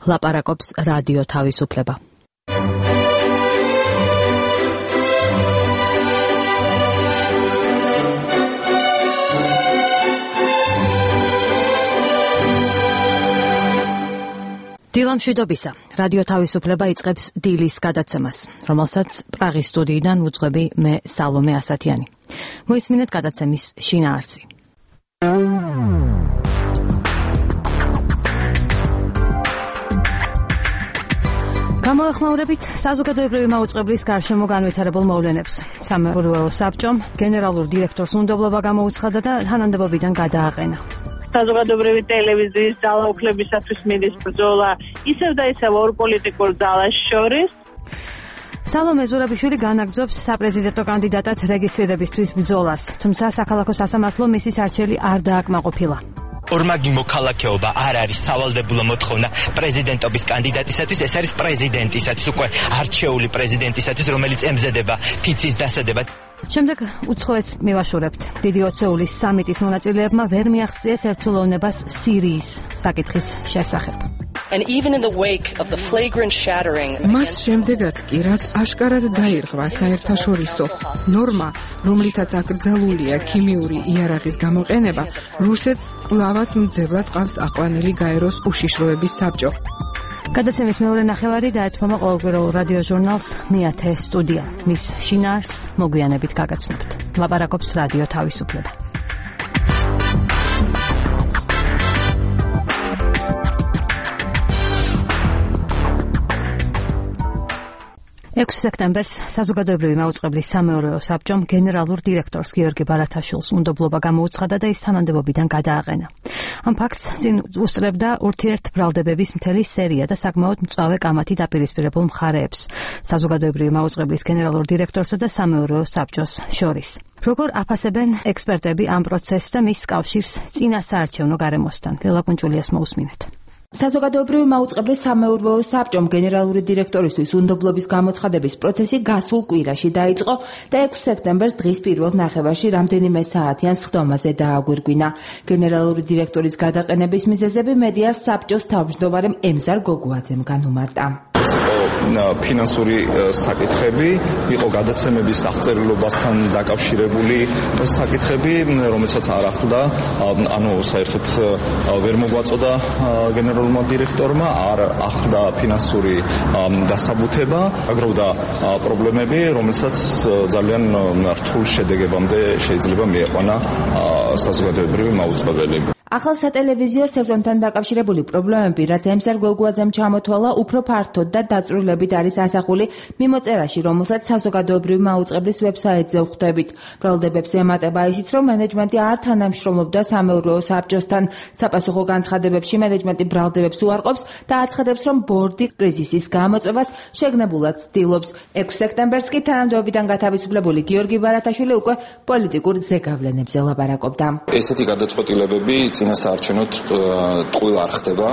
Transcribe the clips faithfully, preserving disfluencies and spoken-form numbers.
ლაპარაკობს რადიო თავისუფლება. დილა მშვიდობისა. რადიო თავისუფლება იწყებს დილის გადაცემას, რომელსაც პრაღის სტუდიიდან ვუძღვები მე სალომე ასათიანი. მოისმინეთ გადაცემის შინაარსი. გამოეხმაურებით საზოგადოებრივი მაუწყებლის გარშემო განვითარებულ მოვლენებს. სამეურვეო საბჭომ გენერალურ დირექტორს უნდობლობა გამოუცხადა და თანამდებობიდან გადააყენა. საზოგადოებრივი ტელევიზიის ძალაუფლებისათვის მიდის ბრძოლა ისევ და ისევ ორ პოლიტიკურ ძალას შორის. სალომე ზურაბიშვილი განაგრძობს საპრეზიდენტო კანდიდატად რეგისტრირებისთვის ბრძოლას, თუმცა საქალაქო სასამართლო მისის არჩევი არ დააკმაყოფილა. ორმაგი მოქალაქეობა არ არის სავალდებულო მოთხოვნა პრეზიდენტობის კანდიდატისათვის, ეს არის პრეზიდენტისათვის, უკვე არჩეული პრეზიდენტისათვის, რომელიც ემზადება ფიცის დასადებად. შემდეგ უცხოეთს მივაშურებთ. დიდი ოცეულის სამიტის მონაწილეებმა ვერ მიაღწიეს ერთსულოვნებას სირიის საკითხის შესახებ. And even in the wake of the flagrant shattering მას შემდეგაც კი რაც აშკარად დაირღვა საერთაშორისო ნორმა, რომლითაც აკრძალულია ქიმიური იარაღის გამოყენება, რუსეთს კვლავაც მძევლად ყავს აყვანილი გაეროს უშიშროების საბჭო. გადაცემის მეორე ნახევარი დაეთმობა ყოველკვირეულ რადიო ჟურნალს მეათე სტუდია. მის შინაარსს მოგვიანებით გაგაცნობთ. ლაპარაკობს რადიო თავისუფლება. ექვსი სექტემბერს საზოგადოებრივი მაუწყებლის სამეურვეო საბჭომ გენერალურ დირექტორს გიორგი ბარათაშვილს უნდობლობა გამოუცხადა და ის თანამდებობიდან გადააყენა. ამ ფაქტს წინ უსწრებდა ურთიერთბრალდებების მთელი სერია და საკმაოდ მწვავე კამათი დაპირისპირებულ მხარეებს საზოგადოებრივი მაუწყებლის გენერალურ დირექტორსა და სამეურვეო საბჭოს შორის. როგორ აფასებენ ექსპერტები ამ პროცესს და მის კავშირს წინასაარჩევნო გარემოსთან? ლელა კუნჭულიას მოусმინეთ. საზოგადოებრივი მაუწყებლის სამეურვეო საბჭომ გენერალური დირექტორისთვის უნდობლობის გამოცხადების პროცესი გასულ კვირაში დაიწყო და ექვსი სექტემბერს დღის პირველ ნახევარში რამდენიმე საათიან სხდომაზე დააგვირგვინა. გენერალური დირექტორის გადაყენების მიზეზები მედიას საბჭოს თავმჯდომარემ ემზარ გოგუაძემ განუმარტა. ფინანსური საკითხები, იყო გადაცემების აღწერილობასთან დაკავშირებული საკითხები, რომელსაც არ ახლდა, ანუ საერთოდ ვერ მოგვაწოდა გენერალურმა დირექტორმა, არ ახლდა ფინანსური დასაბუთება, აგროვდა პრობლემები, რომელსაც ძალიან რთულ შედეგებამდე შეიძლება მიეყვანა საზოგადოებრივი მაუწყებელი. ახალ სატელევიზიო სეზონთან დაკავშირებული პრობლემები, რაც ემზარ გოგუაძემ ჩამოთვალა, უფრო ფართოდ და დაწვრილებით არის ასახული მიმოწერაში, რომელსაც საზოგადოებრივი მაუწყებლის ვებსაიტზე ვხვდებით. ბრალდებებს ემატება ისიც, რომ მენეჯმენტი არ თანამშრომლობდა სამეურვეო საბჭოსთან. საპასუხო განცხადებებში მენეჯმენტი ბრალდებებს უარყოფს და აცხადებს, რომ ბორდი კრიზისის გამოწვევას შეგნებულად ცდილობს. ექვსი სექტემბერს კი თანამდებობიდან გათავისუფლებული გიორგი ბარათაშვილი უკვე პოლიტიკურ ზეგავლენებზე ლაპარაკობდა. ესეთი გადაწყვეტილებები წინასაარჩევნოდ ტყუილ არ ხდება.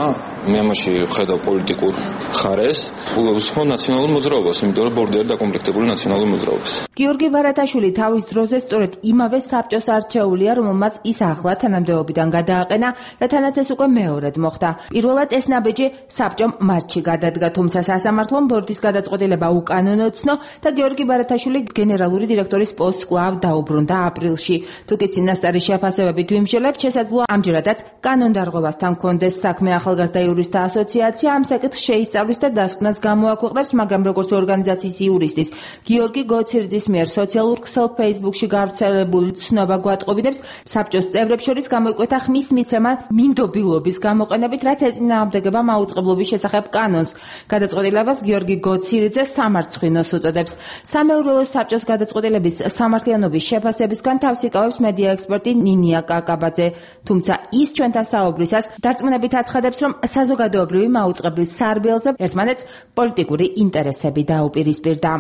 მე ამაში ვხედავ პოლიტიკურ ხარეს, უსხო ნაციონალურ მოძრაობას, იმიტომ რომ ბორდი არის დაკომპლექტებული ნაციონალურ მოძრაობას. გიორგი ბარათაშვილი თავის დროზე სწორედ იმავე საბჭოს არჩეულია, რომელმაც ის ახლა თანამდებობიდან გადააყენა და თანაც ეს უკვე მეორედ მოხდა. პირველად ეს ნაბიჯი საბჭომ მარტში გადადგა, თუმცა სასამართლომ ბორდის გადაწყვეტილება უკანონო ცნო და გიორგი ბარათაშვილი გენერალური დირექტორის პოსტს კვლავ დაუბრუნდა აპრილში. თუკი წინასწარი შეფასებებით ვიმსჯელებთ, შესაძლოა ამჯერადაც კანონდარღვევასთან კონდეს საქმე. ახალგაზრდა იურისტთა ასოციაცია ამ საკითხს შეისწავლის და დასკვნას გამოაქვეყნებს, მაგრამ როგორც ორგანიზაციის იურისტის გიორგი გოცირძის მიერ სოციალურ ქსელ Facebook-ში გავრცელებული ცნობა გვატყობინებს, საბჭოს წევრებს შორის გამოიკვეთა ხმის მიცემა მინდობილობის გამოყენებით, რაც ეწინააღმდეგება მაუწყებლობის შესახებ კანონს. გადაწყვეტილებას გიორგი გოცირძე სამარცხვინოს უწოდებს. სამეურვეო საბჭოს გადაწყვეტილების სამართლიანობის შეფასებისგან თავს იკავებს მედია ექსპერტი ნინია კაკაბაძე. თუმცა ის ჩვენთან საუბრისას დარწმუნებით აცხადებს, რომ საზოგადოებრივი მაუწყებლის სარბიელზე ერთმანეთს პოლიტიკური ინტერესები დაუპირისპირდა.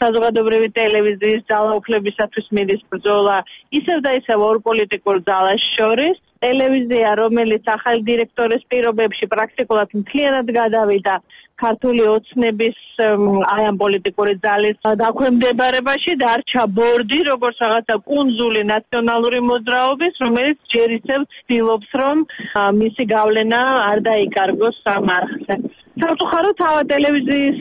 საზოგადოებრივი ტელევიზიის ძალაუფლებისათვის მიდის ბრძოლა ისევ და ისევ ორ პოლიტიკურ ძალას შორის. ტელევიზია, რომელიც ახალი დირექტორის პირობებში პრაქტიკულად მთლიანად გადავიდა ქართული ოცნების აი ამ პოლიტიკური ძალის დაქვემდებარებაში, დარჩა ბორდი, როგორც რაღაცა კუნძული ნაციონალური მოძრაობის, რომელიც ჯერ ისევ ცდილობს, რომ მისი გავლენა არ დაიკარგოს ამ არხზე. სამწუხაროდ თავად ტელევიზიის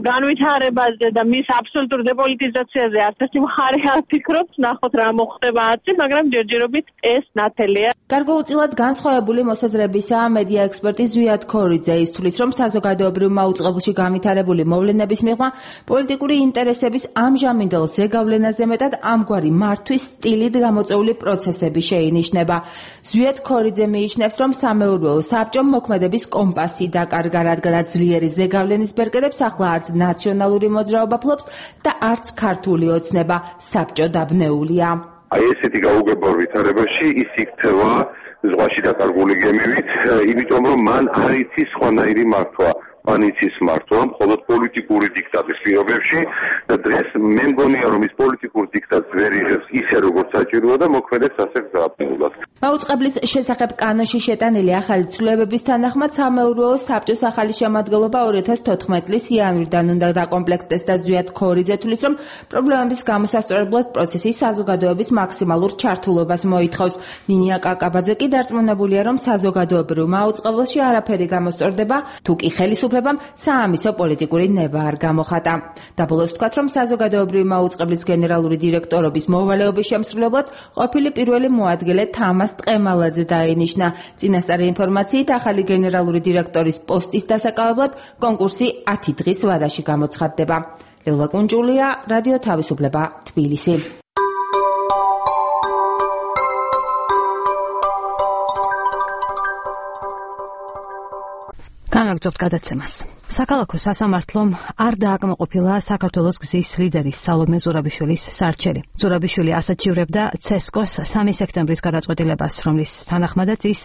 განვითარებაზე და მის აბსოლუტურ დეპოლიტიზაციაზე არც ერთი მხარე არ ფიქრობს, ნახოთ რა მოხდება ათი, მაგრამ ჯერჯერობით ეს ნათელია. გარკვეულწილად განსხვავებული მოსაზრებისაა მედია ექსპერტი ზვიად ქორიძე. ის თვლის, რომ საზოგადოებრივ მაუწყებელში განვითარებული მოვლენების მიღმა პოლიტიკური ინტერესების ამჟამინდელ ზეგავლენაზე მეტად ამგვარი მართვის სტილით გამოწვეული პროცესები შეინიშნება. ზვიად ქორიძე მიიჩნევს, რომ სამეურვეო საბჭომ მოქმედების კომპასი დაკარგა, რადგანაც ძლიერი ზეგავლენის ბერკერებს ახლა არც ნაციონალური მოძრაობა ფლობს და არც ქართული ოცნება საბჭო დაბნეულია. აი ესეთი გაუგებარ ვითარებაში ის იქცევა ზღვაში დაკარგული გემივით, იმიტომ რომ მან არ იცის სხვანაირი მართვა. მან იცის მართვა მხოლოდ პოლიტიკური დიქტატის პირობებში და დღეს მე მგონია რომ ის პოლიტიკური დიქტატს ვერ იღებს ისე როგორც საჭიროა და მოქმედებს ასე გზაბნეულად. მაუწყებლის შესახებ კანონში შეტანილი ახალი ცვლილებების თანახმად სამეურვეო საბჭოს ახალი შემადგენლობა ორი ათას თოთხმეტი წლის იანვრიდან უნდა დაკომპლექტდეს და ზვიად ქორიძე თვლის, რომ პრობლემების გამოსასწორებლად პროცესი საზოგადოების მაქსიმალურ ჩართულობას მოითხოვს. ნინია კაკაბაძე კი დარწმუნებულია, რომ საზოგადოებრივ მაუწყებელში არაფერი გამოსწორდება, თუ კი ხელისუფლებამ საამისო პოლიტიკური ნება არ გამოხატა. დაბოლოს ვთქვათ, რომ საზოგადოებრივი მაუწყებლის გენერალური დირექტორობის მოვალეობის შემსრულებლად ყოფილი პირველი მოადგილე თამას ტყემალაძე დაინიშნა. წინასწარი ინფორმაციით, ახალი გენერალური დირექტორის პოსტის დასაკავებლად კონკურსი ათი დღის ვადაში გამოცხადდება. ლელა კუნჯულია, რადიო თავისუფლება, თბილისი. განაგრძობთ გადაცემას. საქალაქო სასამართლომ არ დააკმაყოფილა საქართველოს გზის ლიდერის სალომე ზურაბიშვილის სარჩელი. ზურაბიშვილი ასაჩივრებდა ცესკოს სამი სექტემბრის გადაწყვეტილებას, რომლის თანახმადაც ის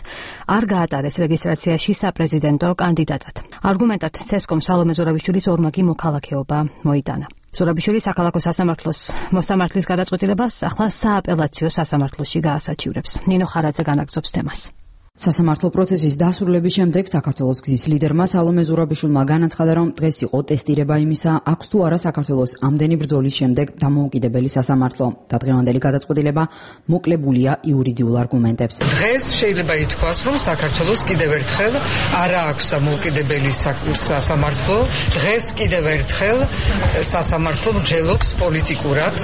არ გაატარეს რეგისტრაციაში საპრეზიდენტო კანდიდატად. არგუმენტად ცესკომ სალომე ზურაბიშვილის ორმაგი მოქალაქეობა მოიტანა. ზურაბიშვილი საქალაქო სასამართლოს მოსამართლის გადაწყვეტილებას ახლა სააპელაციო სასამართლოში გაასაჩივრებს. ნინო ხარაძე განაგრძობს თემას. სასამართლო პროცესის დასრულების შემდეგ საქართველოს გზის ლიდერმა სალომე ზურაბიშვილმა განაცხადა, რომ დღეს იყო ტესტირება იმისა, აქვს თუ არა საქართველოს ამდენი ბრძოლის შემდეგ დამოუკიდებელი სასამართლო. დღევანდელი გადაწყვეტილება მოკლებულია იურიდიულ არგუმენტებს. დღეს შეიძლება ითქვას, რომ საქართველოს კიდევ ერთხელ არა აქვს დამოუკიდებელი სასამართლო. დღეს კიდევ ერთხელ სასამართლო მსჯელობს პოლიტიკურად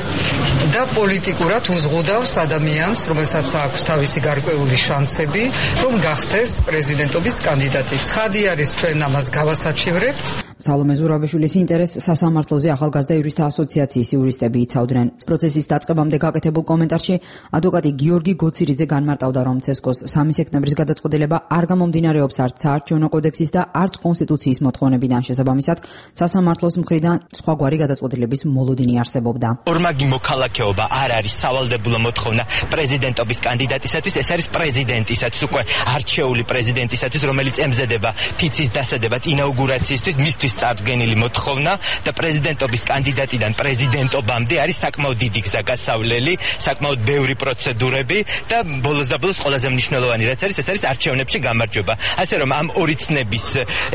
და პოლიტიკურად უზღუდავს ადამიანს, რომელსაც აქვს თავისი გარკვეული შანსები, რომ გახდეს პრეზიდენტობის კანდიდატი. ცხადი არის, ჩვენ ამას გავასაჩივრებთ. სალომე ზურაბიშვილის ინტერესს სასამართლოზე ახალგაზრდა იურისტთა ასოციაციის იურისტები იცავდნენ. პროცესის დაწყებამდე გაკეთებულ კომენტარში ადვოკატი გიორგი გოცირიძე განმარტავდა, რომ ცესკოს სამი სექტემბრის გადაწყვეტილება არ გამომდინარეობს არც საარჩევნო კოდექსის და არც კონსტიტუციის მოთხოვნებიდან. შესაბამისად, სასამართლოს მხრიდან სხვაგვარი გადაწყვეტილების მოლოდინი არსებობდა. ორმაგი მოქალაქეობა არ არის სავალდებულო მოთხოვნა პრეზიდენტობის კანდიდატისათვის, ეს არის პრეზიდენტისათვის, უკვე არჩეული პრეზიდენტისათვის, რომელიც ემზადება ფიცის დასადებად ინაუგურაციისთვის, მისთვის წარდგენილი მოთხოვნა და პრეზიდენტობის კანდიდატიდან პრეზიდენტობამდე არის საკმაოდ დიდი გზა გასავლელი, საკმაოდ ბევრი პროცედურები და ბოლოს და ბოლოს ყველაზე მნიშვნელოვანი რაც არის, ეს არის არჩევნებში გამარჯვება. ასე რომ ამ ორი ცნების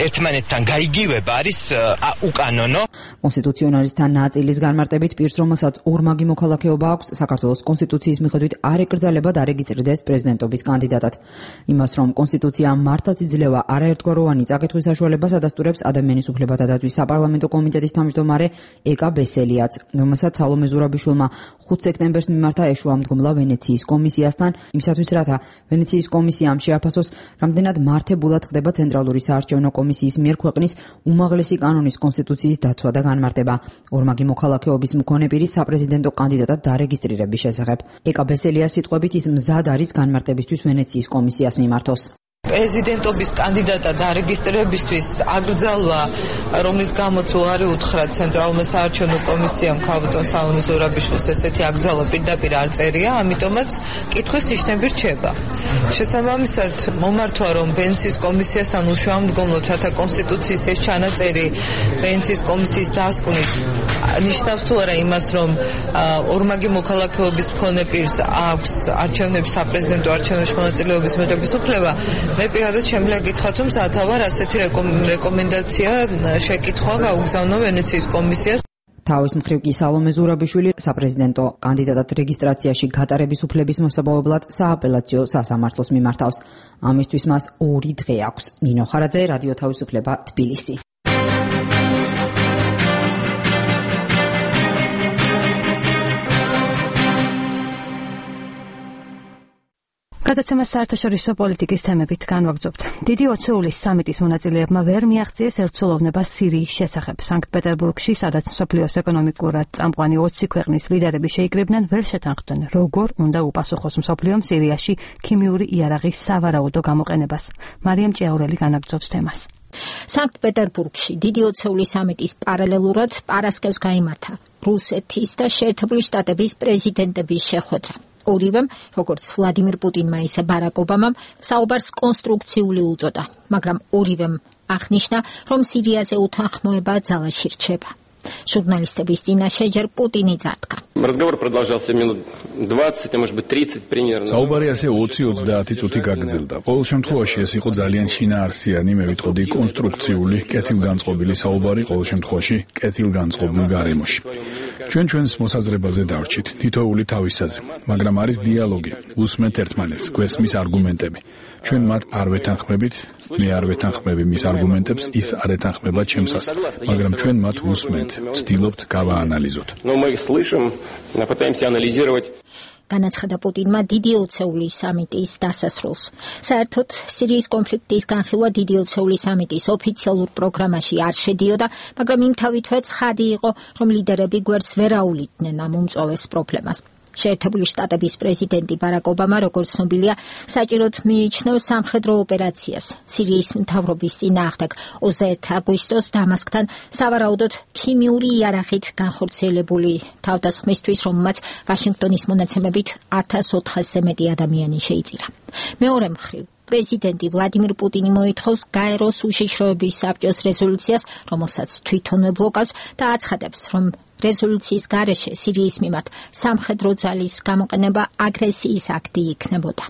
ერთმანეთთან გაიგივება არის უკანონო. კონსტიტუციონალისტთა ნაწილის განმარტებით პირს, რომელსაც ორმაგი მოქალაქეობა აქვს, საქართველოს კონსტიტუციის მიხედვით არ ეკრძალება დარეგისტრირდეს პრეზიდენტობის კანდიდატად. იმას, რომ კონსტიტუცია მართლაც იძლევა არაერთგვაროვანი წაკითხვის საშუალებას ადასტურებს ადამიანის უფლებათა დაცვის საპარლამენტო კომიტეტის თავმჯდომარე ეკა ბესელიაც, რომელსაც სალომე ზურაბიშვილმა ხუთი სექტემბერს მიმართა ეშუა მდგომლა ვენეციის კომისიასთან, იმისათვის რათა ვენეციის კომისიამ შეაფასოს, რამდენად მართებულად ხდება ცენტრალური საარჩევნო კომისიის მიერ ქვეყნის უმაღლესი კანონის კონსტიტუციის დაცვა და განმარტება ორმაგი მოქალაქეობის მქონე პირის საპრეზიდენტო კანდიდატად დარეგისტრირების შესახებ. ეკა ბესელიას სიტყვებით ის მზად არის განმარტებისთვის ვენეციის კომისიას მიმართოს. პრეზიდენტობის კანდიდატად დარეგისტრირებისთვის აკრძალვა, რომლის გამოც უარი უთხრა ცენტრალურმა საარჩევნო კომისიამ ქალბატონ სალომე ზურაბიშვილს ესეთი აკრძალვა პირდაპირ არ წერია, ამიტომაც კითხვის ნიშნები რჩება. შესაბამისად, მომართვა, რომ ვენეციის კომისიასთან უშუალომდგომლოდ, რათა კონსტიტუციის ეს ჩანაწერი ვენეციის კომისიის დასკვნით ნიშნავს თუ არა იმას, რომ ორმაგი მოქალაქეობის მქონე პირს აქვს არჩევნების საპრეზიდენტო არჩევნებში მონაწილეობის მიღების უფლება. მე პირადად შემიძლია გითხრათ, რომ სათავარ ასეთი რეკომენდაცია შეკითხვა გაუგზავნო ვენეციის კომისიას. თავის მხრივ კი სალომე ზურაბიშვილი საპრეზიდენტო კანდიდატად რეგისტრაციაში გატარების უფლების მოსაპოვებლად სააპელაციო სასამართლოს მიმართავს. ამისთვის მას ორი დღე აქვს. ნინო ხარაძე, რადიო თავისუფლება, თბილისი. გადაცემა საერთაშორისო პოლიტიკის თემებით განვაგრძობთ. დიდი ოცეულის სამიტის მონაწილეებმა ვერ მიაღწიეს ერთსულოვნება სირიის შესახებ. სანქტ-პეტერბურგში, სადაც მსოფლიოს ეკონომიკურად წამყვანი ოცი ქვეყნის ლიდერები შეიკრიბნენ, ვერ შეთანხმდნენ, როგორ უნდა უპასუხოს მსოფლიომ სირიაში ქიმიური იარაღის სავარაუდო გამოყენებას. მარიამ ჭიაურელი განაგრძობს თემას. სანქტ-პეტერბურგში დიდი ოცეულის სამიტის პარალელურად პარასკევს გაიმართა რუსეთის და შეერთებული შტატების პრეზიდენტების შეხვედრა. ორივემ, როგორც ვლადიმირ პუტინმა, ისე ბარაკ ობამამ, საუბარს კონსტრუქციული უწოდა, მაგრამ ორივემ აღნიშნა, რომ სირიაზე უთანხმოება ძალაში რჩება. Журналистების წინაშე ჯერ პუტინი წარდგა. Разговор продолжался минут двадцать, а может быть тридцать примерно. საუბარი ასე ოცი ოცდაათი წუთი გაგრძელდა. ყოველ შემთხვევაში ეს იყო ძალიან შინაარსიანი, მე ვიტყოდი კონსტრუქციული, კეთილგანწყობილი საუბარი, ყოველ შემთხვევაში კეთილგანწყობილ გარემოში. ჩვენ ჩვენს მოსაზრებაზე დავრჩით, თითოეული თავისაზე, მაგრამ არის დიალოგი, უსმენთ ერთმანეთს, გვესმის არგუმენტები. ჩვენ მათ არ ვეთანხმებით, მე არ ვეთანხმები მის არგუმენტებს, ის არ ეთანხმება ჩემსას, მაგრამ ჩვენ მათ უსმენთ, ვცდილობთ გავაანალიზოთ. Но мы их слышим, пытаемся анализировать. განაცხადა პუტინმა დიდი ოცეულის სამიტის დასასრულს. საერთოდ სირიის კონფლიქტის განხილვა დიდი ოცეულის სამიტის ოფიციალურ პროგრამაში არ შედიოდა, მაგრამ იმთავითვე ცხადი იყო, რომ ლიდერები გვერდს ვერ აულიდნენ ამ უმწოვეს პრობლემას. შეერთებული შტატების პრეზიდენტი ბარაკ ობამა, როგორც ცნობილია, საჭიროდ მიიჩნევს სამხედრო ოპერაციას სირიის მთავრობის წინააღმდეგ ოცდაერთი აგვისტოს დამასკთან სავარაუდოდ ქიმიური იარაღით განხორციელებული თავდასხმისთვის, რომელმაც ვაშინგტონის მონაცემებით ათას ოთხასზე მეტი ადამიანი შეიწირა. მეორე მხრივ, პრეზიდენტი ვლადიმირ პუტინი მოითხოვს გაეროს უშიშროების საბჭოს რეზოლუციას, რომელსაც თვითონვე ბლოკავს და აცხადებს, რომ რეზოლუციის გარეშე სირიის მიმართ სამხედრო ძალის გამოყენება აგრესიის აქტი იქნებოდა.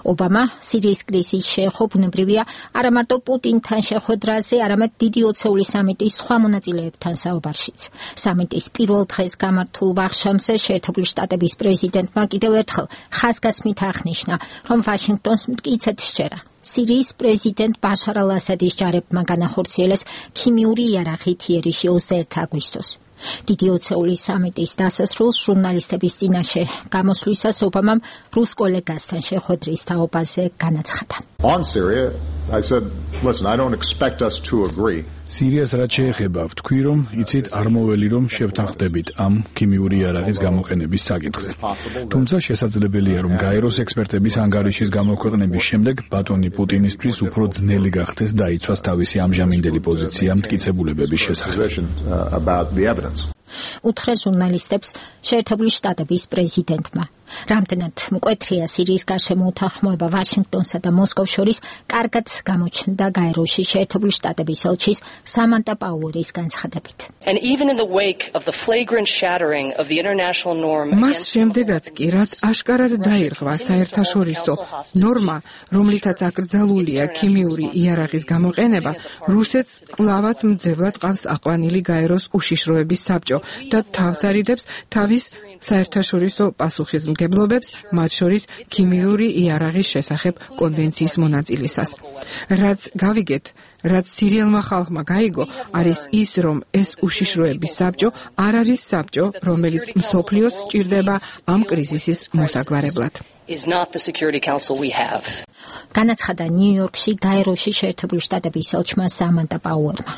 ობამა სირიის კრიზისის შეეხო ბუნებრივია არა მარტო პუტინთან შეხვედრაზე, არამედ დიდი ოცეულის სამიტის სხვა მონაწილეებთან საუბარშიც. სამიტის პირველ დღეს გამართულ ვახშამზე შეერთებული შტატების პრეზიდენტმა კიდევ ერთხელ ხაზგასმით აღნიშნა, რომ ვაშინგტონს მტკიცედ სჯერა სირიის პრეზიდენტ ბაშარ ალ-ასადის ჯარებმა განახორციელეს ქიმიური იარაღით იერიში ოცდაერთი აგვისტოს. დიდი ოცეულის სამიტის დასასრულს ჟურნალისტების წინაშე გამოსვლისას ობამამ რუს კოლეგასთან შეხვედრის თაობაზე განაცხადა. On Syria, I said, listen, I don't expect us to agree. სირიას რაც შეეხება, ვთქვი რომ იცით არ მოველი რომ შევთანხმდებით ამ ქიმიური იარაღის გამოყენების საკითხზე. თუმცა შესაძლებელია რომ გაეროს ექსპერტების ანგარიშის გამოქვეყნების შემდეგ ბატონი პუტინისთვის უფრო ძნელი გახდეს დაიცვას თავისი ამჟამინდელი პოზიცია მტკიცებულებების შესახებ. უთხრა ჟურნალისტებს შეერთებული შტატების პრეზიდენტმა. რამდენად მკვეთრია სირიის გარშემო უთანხმოება ვაშინგტონსა და მოსკოვს შორის, კარგად გამოჩნდა გაეროში შეერთებული შტატების ელჩის სამანტა პაუერის განცხადებით. And even in the wake of the flagrant shattering of the international norm, მას შემდეგაც კი, რაც აშკარად დაირღვა საერთაშორისო ნორმა, რომლითაც აკრძალულია ქიმიური იარაღის გამოყენება, რუსეთს კვლავაც მძევლად ყავს აყვანილი გაეროს უშიშროების საბჭო და თავს არიდებს თავის საერთაშორისო პასუხისმგებლობებს, მათ შორის ქიმიური იარაღის შესახებ კონვენციის მონაწილისას. რაც გავიგეთ, რაც სირიელმა ხალხმა გაიგო, არის ის, რომ ეს უშიშროების საბჭო არ არის საბჭო, რომელიც მსოფლიოს სჭირდება ამ კრიზისის მოსაგვარებლად. is not the Security Council we have. განაცხადა ნიუ-იორკში გაეროში შეერთებული შტატების ელჩმა სამანტა პაუერმა.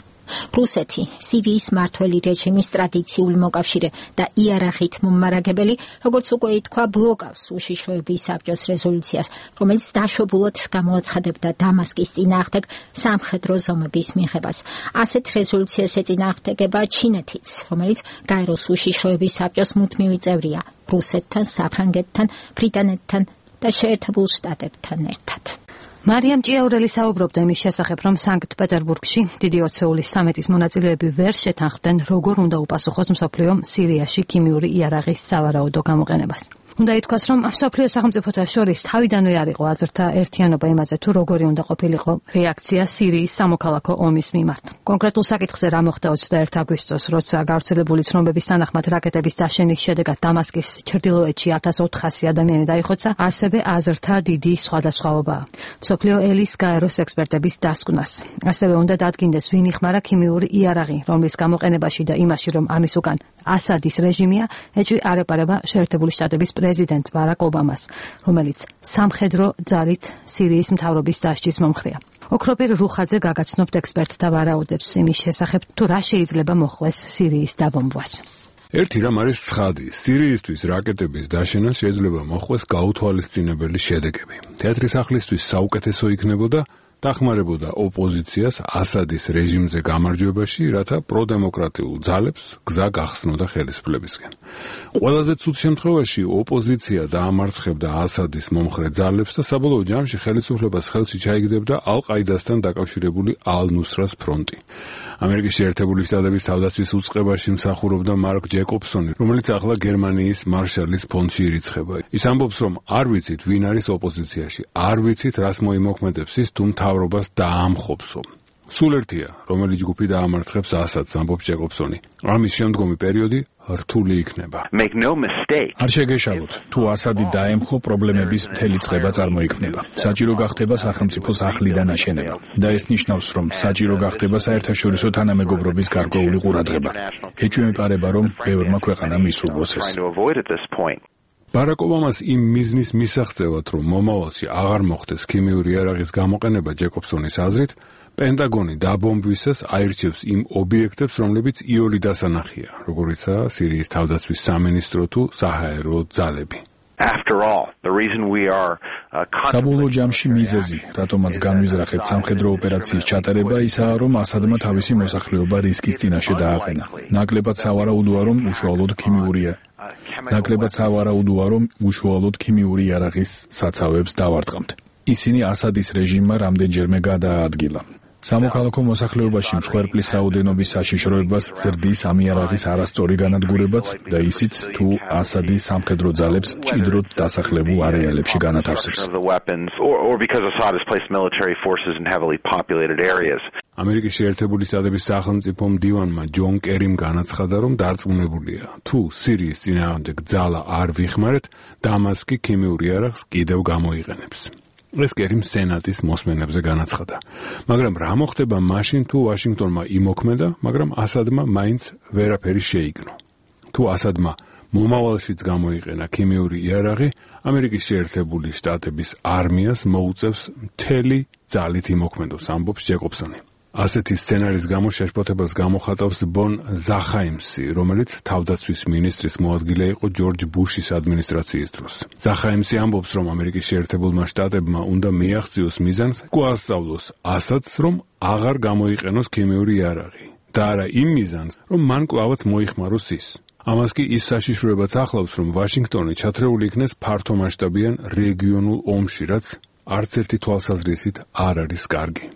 რუსეთი, სირიის მმართველი რეჟიმის ტრადიციული მოკავშირე და იარაღით მომარაგებელი, როგორც უკვე ითქვა, ბლოკავს უშიშროების საბჭოს რეზოლუციას, რომელიც დაშვებულად გამოაცხადებდა დამასკის წინააღმდეგ სამხედრო ზომების მიღებას. ასეთ რეზოლუციას ეწინააღმდეგება ჩინეთიც, რომელიც გაეროს უშიშროების საბჭოს მუდმივი წევრია რუსეთთან, საფრანგეთთან, ბრიტანეთთან და შეერთებულ შტატებთან ერთად. მარიამ ჭიაურელი საუბრობდა იმის შესახებ, რომ სანქტ-პეტერბურგში დიდი ოცეულის სამიტის მონაწილეები ვერ შეთანხმდნენ, როგორ უნდა უპასუხოს მსოფლიომ სირიაში ქიმიური იარაღის სავარაუდო გამოყენებას. უნდა ითქვას, რომ მსოფლიო სახელმწიფოთა შორის თავიდანვე არ იყო აზრთა ერთიანობა იმაზე, თუ როგორი უნდა ყოფილიყო რეაქცია სირიის სამოქალაქო ომის მიმართ. კონკრეტულ საკითხზე რა მოხდა ოცდაერთი აგვისტოს, როცა გავრცელებული ცნობების თანახმად რაკეტების დაშენის შედეგად დამასკის ჩრდილოეთში ათას ოთხასი ადამიანი დაიხოცა, ასევე აზრთა დიდი სხვადასხვაობაა. მსოფლიო ელის გაეროს ექსპერტების დასკვნას. ასევე უნდა დადგინდეს, ვინ იხმარა ქიმიური იარაღი, რომლის გამოყენებაში და იმაში, რომ ამის უკან ასადის რეჟიმია, ეჭვი არ ეპარება შეერთებული შტატების პრეზიდენტ ბარაკ ობამას, რომელიც სამხედრო ძალით სირიის მთავრობის დასჯის მომხრეა. ოქროპირ რუხაძე გაგაცნობთ ექსპერტთა ვარაუდებს იმის შესახებ, თუ რა შეიძლება მოხდეს სირიის დაბომბვას. ერთი რამ არის ცხადი, სირიისთვის რაკეტების დაშენა შეიძლება მოხდეს გაუთვალისწინებელი შედეგები. თეატრი სახლისთვის საუკეთესო იქნებოდა დახმარებოდა ოპოზიციას ასადის რეჟიმზე გამარჯვებაში, რათა პროდემოკრატიულ ძალებს გზა გახსნოდა ხელისუფლებისკენ. ყველაზე ცუდ შემთხვევაში ოპოზიცია დაამარცხებდა ასადის მომხრე ძალებს და საბოლოო ჯამში ხელისუფლებას ხელში ჩაიგდებდა ალ-ყაიდასთან დაკავშირებული ალ-ნუსრას ფრონტი. ამერიკის შეერთებული შტატების თავდაცვის უწყებაში მსახურობდა მარკ ჯეკობსონი, რომელიც ახლა გერმანიის მარშალის ფონდში ირიცხება. ის ამბობს, რომ არ ვიცით, ვინ არის ოპოზიციაში, არ ვიცით, რას მოიმოქმედებს ის, თუ მთავრობას დაამხობსო. სულ ერთია, რომელი ჯგუფი დაამარცხებს ასადს, ამბობს ჯეკობსონი. ამის შემდგომი პერიოდი რთული იქნება. არ შეგეშალოთ, თუ ასადი დაემხო, პრობლემების მთელი წყება წარმოიქმნება. საჭირო გახდება სახელმწიფოს ახლიდან აშენება და ეს ნიშნავს, რომ საჭირო გახდება საერთაშორისო თანამეგობრობის გარკვეული ყურადღება. ეჭვი მეპარება, რომ ბევრმა ქვეყანამ ისურვოს ეს. ბარაკ ობამას იმ მიზნის მისაღწევად, რომ მომავალში აღარ მოხდეს ქიმიური იარაღის გამოყენება, ჯეკობსონის აზრით, პენტაგონი დაბომბვისას აირჩევს იმ ობიექტებს, რომლებიც იოლი დასანახია, როგორიცაა სირიის თავდაცვის სამინისტრო თუ საჰაერო ძალები. საბოლოო ჯამში მიზეზი, რატომაც განვიზრახეთ სამხედრო ოპერაციის ჩატარება, ისაა, რომ ასადმა თავისი მოსახლეობა რისკის წინაშე დააყენა. ნაკლებად სავარაუდოა, რომ უშუალოდ ქიმიურია. ნაკლებად სავარაუდოა, რომ უშუალოდ ქიმიური იარაღის საცავებს დავარტყამთ. ისინი ასადის რეჟიმმა რამდენჯერმე გადაადგილა. სამოქალაქო მოსახლეობაში მსხვერპლის რაოდენობის საშიშროებას ზრდის ამ იარაღის არასწორი განადგურებაც და ისიც, თუ ასადი სამხედრო ძალებს მჭიდროდ დასახლებულ არეალებში განათავსებს. ამერიკის შეერთებული შტატების სახელმწიფო მდივანმა ჯონ კერიმ განაცხადა, რომ დარწმუნებულია, თუ სირიის წინააღმდეგ ძალა არ ვიხმარეთ, დამასკი ქიმიურ იარაღს კიდევ გამოიყენებს. ეს კერიმ სენატის მოსმენებზე განაცხადა. მაგრამ რა მოხდება მაშინ, თუ ვაშინგტონმა იმოქმედა, მაგრამ ასადმა მაინც ვერაფერი შეიგნო. თუ ასადმა მომავალშიც გამოიყენა ქიმიური იარაღი, ამერიკის შეერთებული შტატების არმიას მოუწევს მთელი ძალით იმოქმედოს, ამბობს ჯეკობსონი. ასეთი სცენარის გამო შეშფოთებას გამოხატავს ბონ ზახაიმსი, რომელიც თავდაცვის მინისტრის მოადგილე იყო ჯორჯ ბუშის ადმინისტრაციის დროს. ზახაიმსი ამბობს, რომ ამერიკის შეერთებულმა შტატებმა უნდა მიაღწიოს მიზანს, გვასწავლოს ასადს, რომ აღარ გამოიყენოს ქიმიური იარაღი და არა იმ მიზანს, რომ მან კვლავაც მოიხმაროს ის. ამას კი ის საშიშროებაც ახლავს, რომ ვაშინგტონი ჩათრეული იქნეს ფართომასშტაბიან რეგიონულ ომში, რაც არც ერთი თვალსაზრისით არ არის კარგი.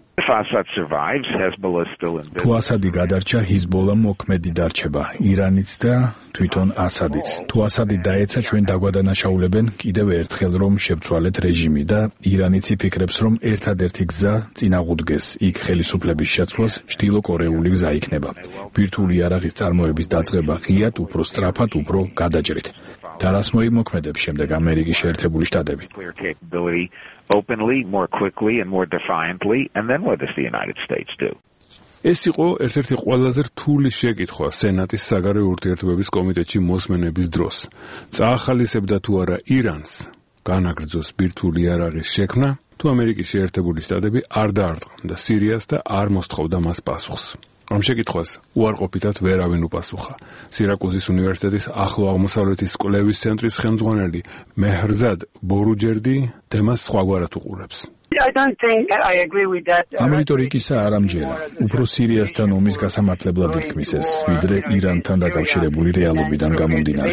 თუ ასადი გადარჩა, ჰიზბოლა მოქმედი დარჩება, ირანიც და თვითონ ასადიც. თუ ასადი დაეცა, ჩვენ დაგვადანაშაულებენ კიდევ ერთხელ, რომ შევცვალეთ რეჟიმი და ირანიც იფიქრებს, რომ ერთადერთი გზა წინაღუდგეს იქ ხელისუფლების შეცვლას ჩრდილოკორეული გზა იქნება. ბირთვული იარაღის წარმოების დაწყება ღიად, უფრო სწრაფად, უფრო გადაჭრით. და რას მოიმოქმედებს შემდეგ ამერიკის შეერთებული შტატები? openly, more quickly and more defiantly, and then what does the United States do? ეს იყო ერთ-ერთი ყველაზე რთული შეკითხვა სენატის საგარეო ურთიერთობების კომიტეტში მოსმენების დროს. წაახალისებდა თუ არა ირანს განაგრძოს ბირთვული იარაღის შექმნა, თუ ამერიკის შეერთებული შტატები არ დაარტყამდა სირიას და არ მოსთხოვდა მას პასუხს. ამ შეკითხვას უარყოფითად ვერავინ უპასუხა. სირაკუზის უნივერსიტეტის ახლო აღმოსავლეთის კვლევის ცენტრის ხელმძღვანელი მეჰრზად ბორუჯერდი თემას სხვაგვარად უყურებს. ამ რიტორიკისა არ ამჯერა. უფრო სირიასთან ომის გასამართლებლად ითქმის ეს, ვიდრე ირანთან დაკავშირებული რეალობიდან გამომდინარე.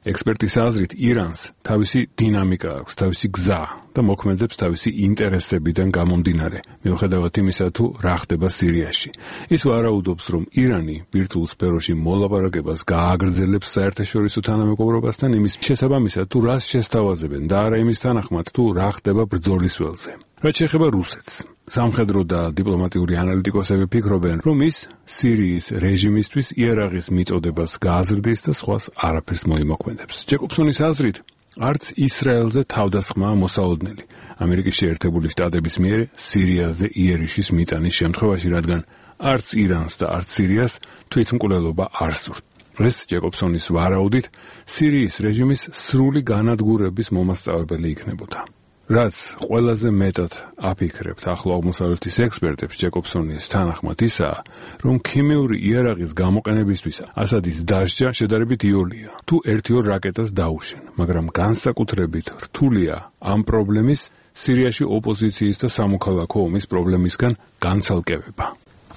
ექსპერტის აზრით, ირანს თავისი დინამიკა აქვს, თავისი გზა და მოქმედებს თავისი ინტერესებიდან გამომდინარე, მიუხედავად იმისა, თუ რა ხდება სირიაში. ის ვარაუდობს, რომ ირანი ბირთვულ სფეროში მოლაპარაკებას გააგრძელებს საერთაშორისო თანამეგობრობასთან იმის შესაბამისად, თუ რას შესთავაზებენ და არა იმის თანახმად, თუ რა ხდება ბრძოლის ველზე. რაც შეეხება რუსეთს, სამხედრო და დიპლომატიური ანალიტიკოსები ფიქრობენ, რომ ის სირიის რეჟიმისთვის იარაღის მიწოდებას გააზრდის და სხვას არაფერს მოიმოქმედებს. ჯეკობსონის აზრით, არც ისრაელზე თავდასხმაა მოსალოდნელი ამერიკის შეერთებული შტატების მიერ სირიაზე იერიშის მიტანის შემთხვევაში, რადგან არც ირანს და არც სირიას თვითმკვლელობა არ სურთ. ეს ჯეკობსონის ვარაუდით სირიის რეჟიმის სრული განადგურების მომასწავებელი იქნებოდა. რაც ყველაზე მეტად აფიქრებთ ახლო აღმოსავლეთის ექსპერტებს, ჯეკობსონის თანახმად ისაა, რომ ქიმიური იარაღის გამოყენებისთვის ასადის დასჯა შედარებით იოლია, თუ ერთი-ორ რაკეტას დაუშენ, მაგრამ განსაკუთრებით რთულია ამ პრობლემის სირიაში ოპოზიციის და სამოქალაქო ომის პრობლემისგან განცალკევება.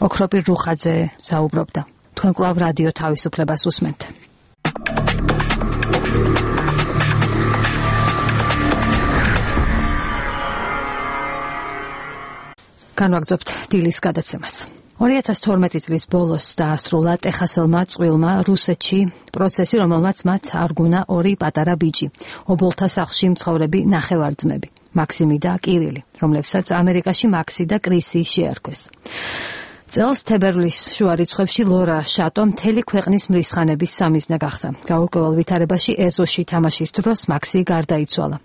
ოქროპირ რუხაძე საუბრობდა. თქვენ კვლავ რადიო თავისუფლებას უსმენთ. განვაგრძობთ დილის გადაცემას. ორი ათას თორმეტი წლის ბოლოს დაასრულა ტეხასელმა წყვილმა რუსეთში პროცესი, რომელმაც მათ არგუნა ორი პატარა ბიჭი, ობოლთა სახლში მცხოვრები ნახევარძმები, მაქსიმი და კირილი, რომლებსაც ამერიკაში მაქსი და კრისი შეარქვეს. წელს თებერვლის შუა რიცხვებში ლორა შატო მთელი ქვეყნის მრისხანების სამიზნე გახდა. გაურკვეველ ვითარებაში ეზოში თამაშის დროს მაქსი გარდაიცვალა.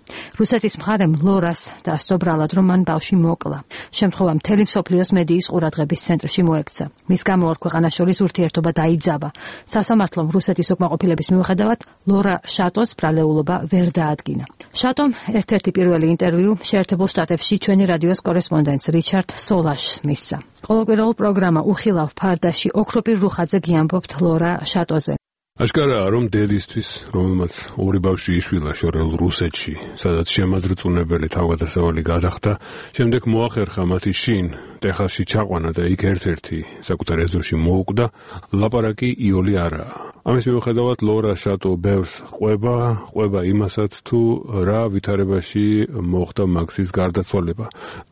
რუსეთის მხარემ ლორას დასწრო ბრალად, რომ მან ბავშვი მოკლა. შემთხვევა მთელი მსოფლიოს მედიის ყურადღების ცენტრში მოექცა. მის გამო ორ ქვეყანას შორის ურთიერთობა დაიძაბა. სასამართლომ რუსეთის უკმაყოფილების მიუხედავად ლორა შატოს ბრალეულობა ვერ დაადგინა. შატომ ერთ-ერთი პირველი ინტერვიუ შეერთებულ შტატებში ჩვენი რადიოს კორესპონდენტს რიჩარდ სოლაშს მისცა. ყოველკვირეულ პროგრამა უხილავ ფარდაში ოქროპირ რუხაძე გიამბობთ ლორა შატოზე. აშკარაა, რომ დედისთვის, რომელმაც ორი ბავშვი იშვილა შორეულ რუსეთში, სადაც შემაძრწუნებელი თავგადასავალი გადახდა, შემდეგ მოახერხა მათი შინ ტეხასში ჩაყვანა და იქ ერთ-ერთი საკუთარ ეზოში მოუკვდა, ლაპარაკი იოლი არაა. ამის მიუხედავად ლორა შატო ბევრს ყვება, ყვება იმასაც, თუ რა ვითარებაში მოხდა მაქსის გარდაცვალება.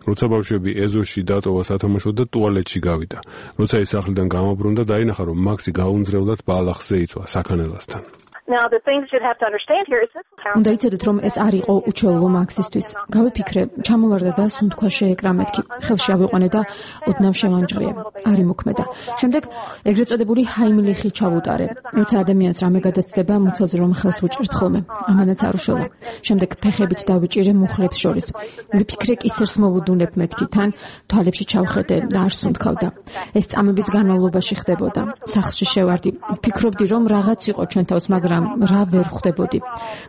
როცა ბავშვები ეზოში დატოვა სათამაშოდ და ტუალეტში გავიდა. როცა ის სახლიდან გამობრუნდა, დაინახა, რომ მაქსი გაუნձრევლად ბალახზე იწვა საქანელასთან. უნდა იცოდეთ, რომ ეს არ იყო უჩვეულო მაქსისთვის. გავიფიქრე, ჩამოვარდა და სუნთქვა შეეკრა მეთქი. ხელში ავიყვანე და ოდნავ შევანჯღრიე. არ იმოქმედა. შემდეგ ეგრეთ წოდებული ჰაიმლიხი ჩავუტარე. როცა ადამიანს რამე გადაცდება, მუცელზე რომ ხელს უჭერთ ხოლმე. ამანაც არ უშველა. შემდეგ ფეხებით დავიჭირე მუხლებს შორის. ვიფიქრე, კისერს მოვუდუნებ მეთქი, თან თვალებში ჩავხედე და არ სუნთქავდა. ეს წამების განმავლობაში ხდებოდა. სახლში შევარდი. ვფიქრობდი, რომ რაღაც იყო ჩვენ თავს, მაგრამ რა ვერ ხვდებოდი.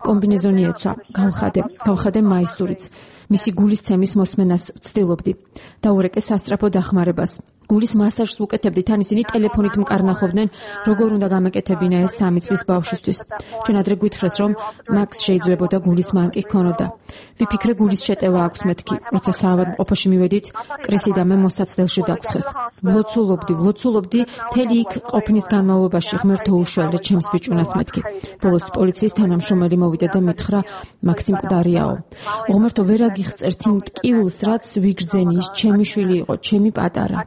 კომბინეზონი ეცვა, გავხადე, გავხადე მაისურიც. მისი გულისცემის მოსმენას ვცდილობდი. დაურეკე სასწრაფო დახმარებას. გულის მასაჟს უკეთებდი, თან ისინი ტელეფონით მკარნახობდნენ, როგორ უნდა გამეკეთებინა ეს სამი წლის ბავშვისთვის. ჩვენ ადრე გვითხრეს, რომ მაქს შეიძლებოდა გულის მანკი ჰქონოდა. ვიფიქრე, გულის შეტევა აქვს მეთქი. როცა საავადმყოფოში მივედით, კრისი და მე მოსაცდელში დაგხვეს. ვლოცულობდი, ვლოცულობდი, მთელი იქ ყოფნის განმავლობაში ღმერთო უშველე ჩემს ბიჭუნას მეთქი. ბოლოს პოლიციის თანამშრომელი მოვიდა და მითხრა, მაქსი მკვდარიაო. ღმერთო, ვერ აგიხწერთ იმ ტკივილს, რაც ვიგრძენი, ის ჩემი შვილი იყო, ჩემი პატარა.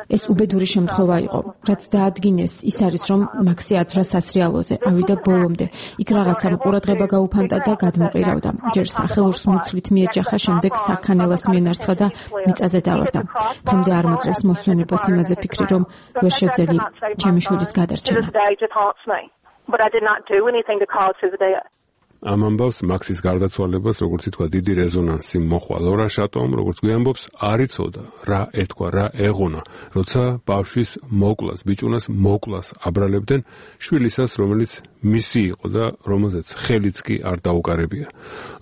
ეს უბედური შემთხვევა იყო, რაც დაადგინეს, ის არის, რომ მაქსი აცვრა სასრიალოზე, ავიდა ბოლომდე. იქ რაღაცამ ყურადღება გაუფანტა და გადმოყირავდა. ჯერ სახელურს მუცლით მიეჯახა, შემდეგ საქანელას მიენარცხა და მიწაზე დავარდა. დღემდე არ მოწევს მოსვენებას იმაზე ფიქრი, რომ ვერ შევძელი ჩემი შვილის გადარჩენა. ამ ამბავს მაქსის გარდაცვალებას, როგორც ითქვა, დიდი რეზონანსი მოჰყვა ლორა შატომ, როგორც გვიამბობს, არ იცოდა რა ეთქვა, რა ეღონა, როცა ბავშვის მოკლას, ბიჭუნას მოკლას აბრალებდნენ შვილისას, რომელიც მისი იყო და რომელზეც ხელიც კი არ დაუკარებია.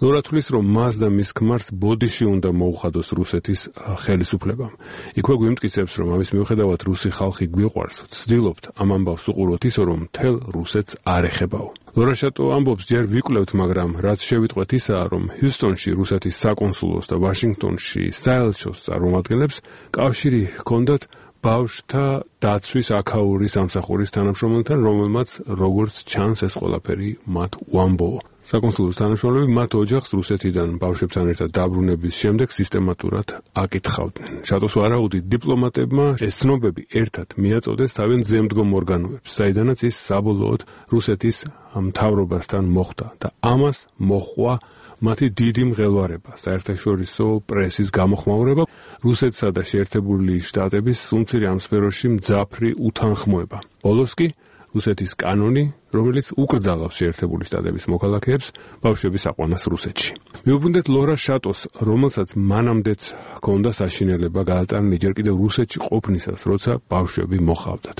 ლორა თვლის, რომ მას და მის ქმარს ბოდიში უნდა მოუხადოს რუსეთის ხელისუფლებამ. იქვე გვიმტკიცებს, რომ ამის მიუხედავად რუსი ხალხი გვიყვარს, ვცდილობთ ამ ამბავს უყუროთ ისო, რომ მთელ რუსეთს არ ეხებაო. ლორა შატო ამბობს, ჯერ ვიკვლევთ, მაგრამ რაც შევიტყვეთ ისაა, რომ ჰიუსტონში რუსეთის საკონსულოს და ვაშინგტონში საელჩოს წარმომადგენლებს კავშირი ჰქონდათ ბავშვთა დაცვის აქაური სამსახურის თანამშრომელთან, რომელმაც როგორც ჩანს ეს ყველაფერი მათ უამბოა. საკონსულოს თანამშრომლები მათ ოჯახს რუსეთიდან ბავშვებთან ერთად დაბრუნების შემდეგ სისტემატურად აკითხავდნენ. შატოს ვარაუდით დიპლომატებმა ეს ცნობები ერთად მიაწოდეს თავიანთ ზემდგომ ორგანოებს, საიდანაც ის საბოლოოდ რუსეთის მთავრობასთან მოხვდა და ამას მოჰყვა მათი დიდი მღელვარება, საერთაშორისო პრესის გამოხმაურება, რუსეთსა და შეერთებული შტატების სუმცირი ამ სფეროში მძაფრი უთანხმოება. ბოლოს კი რუსეთის კანონი, რომელიც უკრძალავს შეერთებული შტატების მოქალაქეებს ბავშვების აყვანას რუსეთში. მიუბრუნდეთ ლორა შატოს, რომელსაც მანამდეც ჰქონდა საშინელება გაატანა ჯერ კიდევ რუსეთში ყოფნისას, როცა ბავშვები მოჰყავდათ.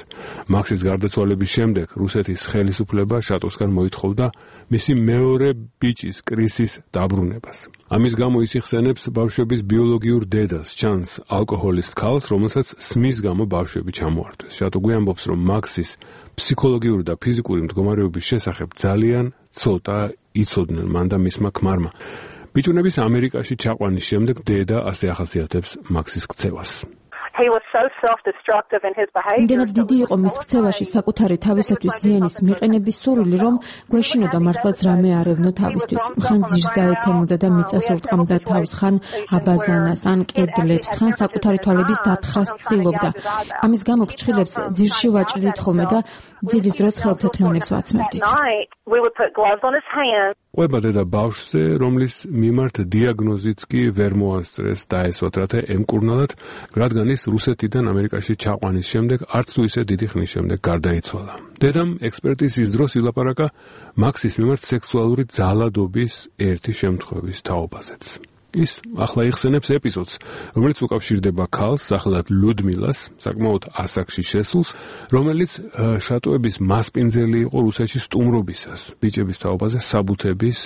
მაქსის გარდაცვალების შემდეგ რუსეთის ხელისუფლება შატოსგან მოითხოვდა მისი მეორე ბიჭის კრისის დაბრუნებას. ამის გამო ის იხსენებს ბავშვების ბიოლოგიურ დედას, ჩანს ალკოჰოლისტ ქალს, რომელსაც სმის გამო ბავშვები ჩამოართვეს. შატო გვიამბობს, რომ მაქსის ფსიქოლოგიური და ფიზიკური მდგომარეობის შესახებ ძალიან ცოტა იცოდნენ მან და მისმა ქმარმა. ბიჭუნების ამერიკაში ჩაყვანის შემდეგ დედა ასე ახასიათებს მაქსის ქცევას. იმდენად დიდი იყო მის ქცევაში საკუთარი თავისათვის ზიანის მიყენების სურვილი, რომ გვეშინოდა მართლაც რამე არ ევნო თავისთვის. ხან ძირს დაეცემოდა და მიწას ურტყამდა თავს, ხან აბაზანას, ან კედლებს, ხან საკუთარი თვალების დათხრას ცდილობდა. ამის გამო ფრჩხილებს ძირში ვაჭრდით ხოლმე და ძილის დროს ხელთათმანებს ვაცმევდით. ყვება დედა ბავშვზე, რომლის მიმართ დიაგნოზიც კი ვერ მოასწრეს დაესვათ, რათა ემკურნალად, რადგან ის რუსეთიდან ამერიკაში ჩაყვანის შემდეგ არც თუ ისე დიდი ხნის შემდეგ გარდაიცვალა. დედამ ექსპერტიზის დროს ილაპარაკა მაქსის მიმართ სექსუალური ძალადობის ერთი შემთხვევის თაობაზეც. ის ახლა იხსენებს ეპიზოდს, რომელიც უკავშირდება ქალს, სახელად ლუდმილას, საკმაოდ ასაკში შესულს, რომელიც შატოების მასპინძელი იყო რუსეთში სტუმრობისას, ბიჭების თაობაზე საბუთების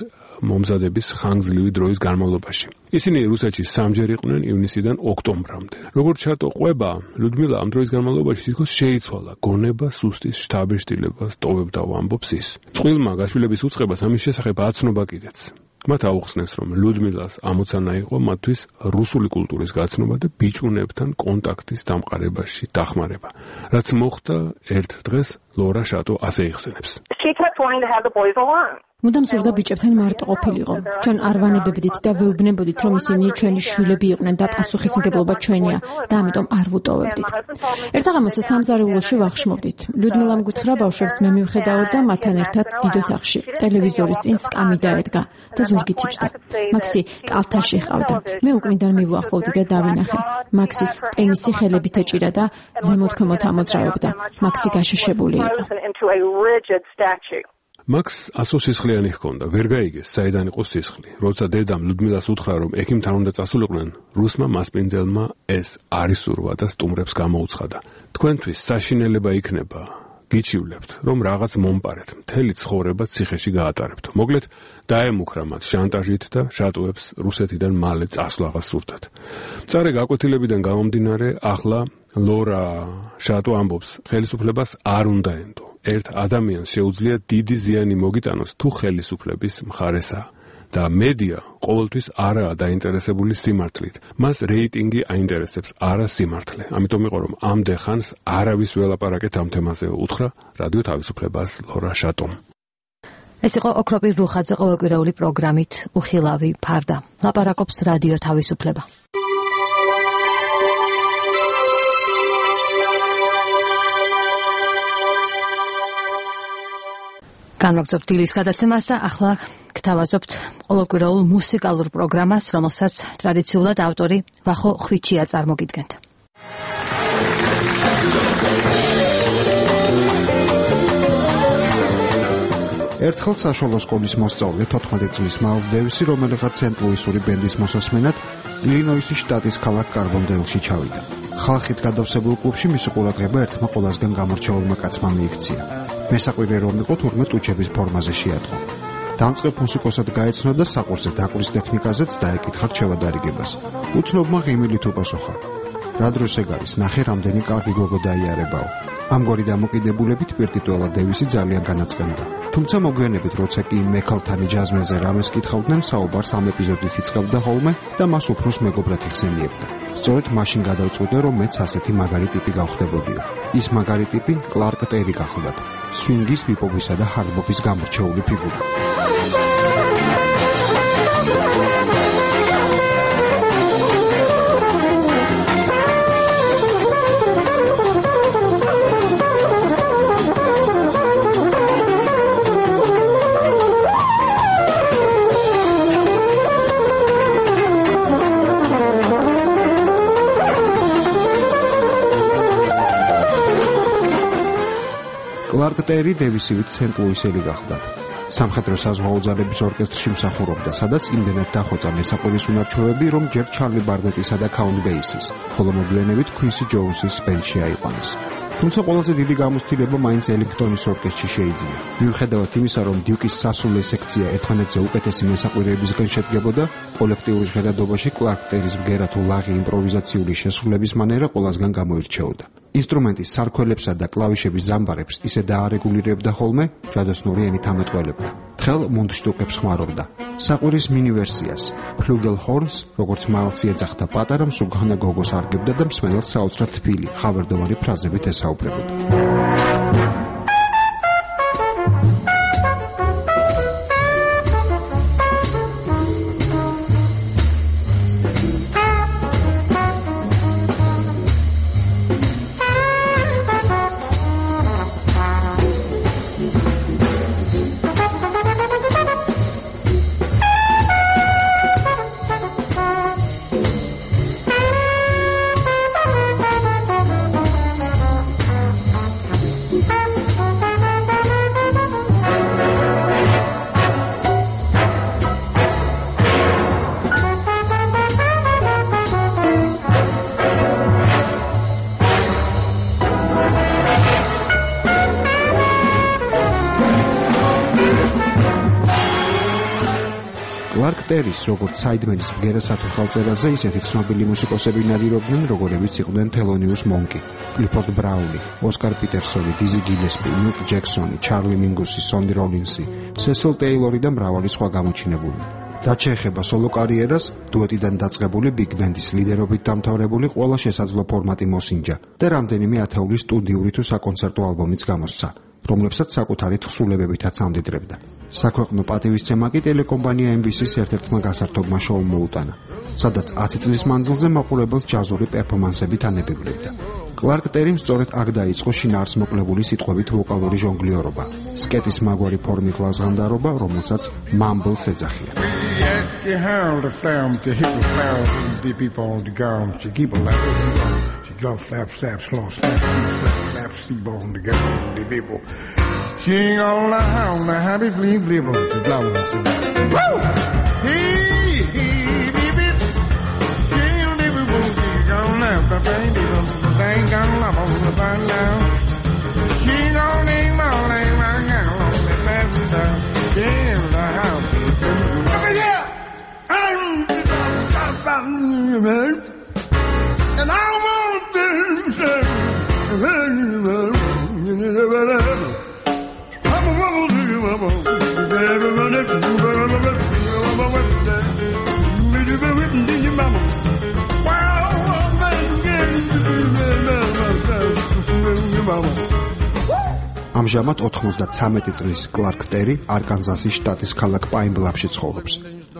მომზადების ხანგრძლივი დროის განმავლობაში. ისინი რუსეთში სამჯერ იყვნენ ივნისიდან ოქტომბრამდე. როგორც შატო ყვება, ლუდმილა ამ დროის განმავლობაში თითქოს შეიცვალა, გონება, სუსტის შთაბეჭდილებას ტოვებდა, ამბობს ის. წყვილმა გაშვილების უწყებას ამის შესახებ აცნობა კიდეც. მათ აუხსნეს, რომ ლუდმილას ამოცანა იყო მათთვის რუსული კულტურის გაცნობა და ბიჭუნებთან კონტაქტის დამყარებაში დახმარება. რაც მოხდა ერთ დღეს, ლორა შატო ასე იხსენებს. მუდამ სურდა ბიჭებთან მარტო ყოფილიყო. ჩვენ არ ვანებებდით და ვეუბნებოდით, რომ ისინი ჩვენი შვილები იყვნენ და პასუხისმგებლობა ჩვენია და ამიტომ არ ვუტოვებდით. ერთაღამოს სამზარეულოში ვახშმობდით. ლუდმილამ გითხრა ბავშვებს მე მივხედავ და მათთან ერთად დიდ ოთახში ტელევიზორის წინ სკამი დაედგა და ზურგით იჯდა. მაქსი კალთაში ჰყავდა. მე უკნიდან მივუახლოვდი და დავინახე. მაქსის პენისი ხელებით ეჭირა და ზემოთქვემოთ ამოძრავებდა. მაქსი გაშიშებული იყო. მაქს ასო სისხლიანი ჰქონდა, ვერ გაიგეს, საიდან იყო სისხლი. როცა დედამ ლუდმილას უთხრა, რომ ექიმთან უნდა წასულიყვნენ, რუსმა მასპინძელმა ეს არ ისურვა და სტუმრებს გამოუცხადა. თქვენთვის საშინელება იქნება, გიჩივლებთ, რომ რაღაც მომპარეთ, მთელი ცხოვრება ციხეში გაატარებთ. მოკლედ, დაემუქრა მათ შანტაჟით და შატოებს რუსეთიდან მალე წასვლას სურდათ. მწარე გაკვეთილებიდან გამომდინარე, ახლა ლორა შატო ამბობს, ხელისუფლებას არ უნდა ენდო. ერთ ადამიანს შეუძლია დიდი ზიანი მოგიტანოს თუ ხელისუფლების მხარესაა და მედია ყოველთვის არაა დაინტერესებული სიმართლით. მას რეიტინგი აინტერესებს, არა სიმართლე. ამიტომ იყო რომ ამდე ხანს არავის ველაპარაკეთ ამ თემაზე, უთხრა რადიო თავისუფლებას ლორა შატომ. ეს იყო ოქროპირ რუხაძე ყოველკვირეული პროგრამით უხილავი ფარდა. ლაპარაკობს რადიო თავისუფლება. განვაგრძობთ დილის გადაცემას და ახლა გთავაზობთ ყოველკვირეულ მუსიკალურ პროგრამას, რომელსაც ტრადიციულად ავტორი ვახო ხვიჩია წარმოგიდგენთ. ერთხელ საშუალო სკოლის მოსწავლე თოთხმეტი წლის მაილს დევისი, რომელიღაც სენტ-ლუისური ბენდის მოსასმენად ილინოისის შტატის ქალაქ კარბონდეილში ჩავიდა. ხალხით გადავსებულ კლუბში მისი ყურადღება ერთმა ყველაზე გამორჩეულმა კაცმა მიიქცია. მესაყვირე რომ იყო თურმე ტუჩების ფორმაზე შეატყო. დამწყებ მუსიკოსად გაეცნო და საყურზე დაკვრის ტექნიკაზეც დაეკითხა რჩევა-დარიგებას. უცნობმა ღიმილით უპასუხა. რა დროს ეგ არის, ნახე რამდენი კარგი გოგო დაიარებაო. ამგვარი დამოკიდებულებით პირტიტუელა დევისი ძალიან განაწყენდა. თუმცა მოგვიანებით, როცა კი მექალთანი ჯაზმენზე რამეს კითხავდნენ, საუბარს ამ ეპიზოდით იწყებდა ხოლმე და მას უფროს მეგობრად იხსენიებდა. სწორედ მაშინ გადავწყვიტე, რომ მეც ასეთი მაგარი ტიპი გავხდებოდიო. ის მაგარი ტიპი კლარკ ტერი გახლდათ, სვინგის, ბიპოპისა და ჰარდბოპის გამორჩეული ფიგურა. კლარკ ტერი დევისივით სენტ ლუისელი გახლდათ. სამხედრო საზღვაო ძალების ორკესტრში მსახურობდა, სადაც იმდენად დახვეწა მესაყვირის უნარჩვევები, რომ ჯერ ჩარლი ბარნეტისა და ქაუნ ბეისის, ხოლო მოგვიანებით ქვინსი ჯოუნსის ბენდში აიყვანეს. თუმცა ყველაზე დიდი გამოცდილება მაინც ელინგტონის ორკესტრში შეიძინა. მიუხედავად იმისა, რომ დიუკის სასულე სექცია ერთმანეთზე უკეთესი მესაყვირეებისგან შედგებოდა, კოლექტიურ ჟღერადობაში კლარკ ტერის ბგერა თუ ლაღი იმპროვიზაციული შესრულების მანერა ყველასგან გამოირჩეოდა. ინსტრუმენტის სარქველებსა და კლავიშების ზამბარებს ისე დაარეგულირებდა ხოლმე, ჯადოსნური ენით ამეტყველებდა. თხელ მუნდშტუკებს ხმარობდა. საყვირის მინი ვერსიას, ფლუგელჰორნს, როგორც მალსი ეძახდა პატარა მსუგანა გოგოს არგებდა და მსმენელს საოცრად თბილი, ხავერდოვანი ფრაზებით ესაუბრებოდა. კლარკ ტერის, როგორც საიდმენის ბგერასათი ხალწერაზე, ისეთი ცნობილი მუსიკოსები ნადირობდნენ, როგორებიც იყვნენ თელონიუს მონკი, კლიფორდ ბრაუნი, ოსკარ პიტერსონი, დიზი გილესპი, მილკ ჯექსონი, ჩარლი მინგუსი, სონი როლინსი, სესილ ტეილორი და მრავალი სხვა გამოჩინებული. რაც შეეხება სოლო კარიერას, დუეტიდან დაწყებული ბიგ ბენდის ლიდერობით დამთავრებული ყველა შესაძლო ფორმატი მოსინჯა და რამდენიმე ათეული სტუდიური თუ საკონცერტო ალბომიც გამოსცა, რომლებსაც საკუთარი თხზულებებითაც ამდიდრებდა. საქვეყნო პატივისცემა კი ტელეკომპანია ემ ბი სის ერთ-ერთმა გასართობმა შოუმ მოუტანა, სადაც ათი წლის მანძილზე მაყურებელს ჯაზური პერფორმანსებით ანებებლებდა. კლარკ ტერიმ სწორედ აქ დაიწყო შინაარსმოკლებული სიტყვებით ვოკალური ჟონგლიორობა, სკეტის მაგვარი ფორმით ლაზღანდარობა, რომელსაც მამბლს ეძახია. Glove slap, slap, slow, slap, slap, slap, sleep on the ground, the people. She ain't all the hound, the happy flea flipper, she blowing, she blowing. Woo! Hey, hey, baby. She ain't the people, she gone now, the thing, the thing gone up on the fun now. She gone name all name, I got on the left down. She ain't the house. Over here! I'm and I want to ამჟამად ოთხმოცდათრამეტი წლის კლარკ ტერი არკანზასის შტატის ქალაქ პაინ-ბლაფში ცხოვრობს.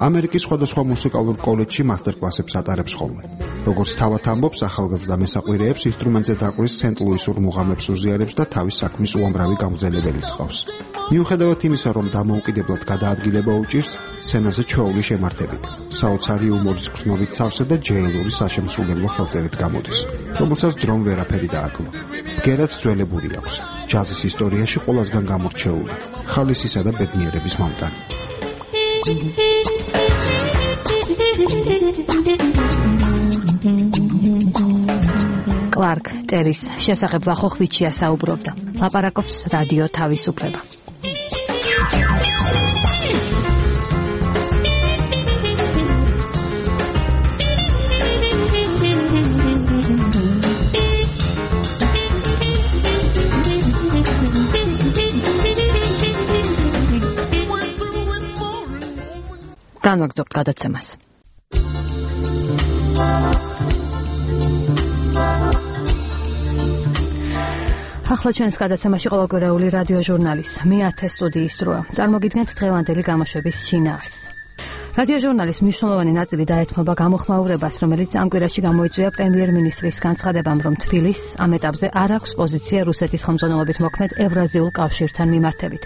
ამერიკის სხვადასხვა მუსიკალურ კოლეჯში მასტერკლასებს ატარებს ხოლმე. როგორც თავად ამბობს, ახალგაზრდა მესაყვირეებს ინსტრუმენტზე დაკვრის სენტ ლუისურ მუღამებს უზიარებს და თავის საქმის უამრავი გამგზელებელიც ჰყავს. მიუხედავად იმისა, რომ დამოუკიდებლად გადაადგილება უჭირს, სცენაზე ჩვეული შემართებით, საოცარი იუმორის გრძნობით სავსე და ჯეილური საშემსრულებლო ხელწერით გამოდის, რომელსაც დრომ ვერაფერი დააკლო. ბგერად ძველებული აქვს, ჯაზის ისტორიაში ყველასგან გამორჩეული, ხალისისა და ბედნიერების მომტანი. კლარკ ტერის შესახებ ვახო ხვიჩია საუბრობდა. ლაპარაკობს რადიო თავისუფლება. განვაგრძობთ გადაცემას. ახლა ჩვენს გადაცემაში ყოველკვირეული რადიო ჟურნალის მეათე სტუდიის დროა. წარმოგიდგენთ დღევანდელი გამოშვების შინაარსს. რადიო ჟურნალის მნიშვნელოვანი ნაწილი დაეთმობა გამოხმაურებას, რომელიც ამ კვირაში გამოიწვია პრემიერ-მინისტრის განცხადებამ, რომ თბილის ამ ეტაპზე არ აქვს პოზიცია რუსეთის ხელმძღვანელობით მოქმედ ევრაზიულ კავშირთან მიმართებით.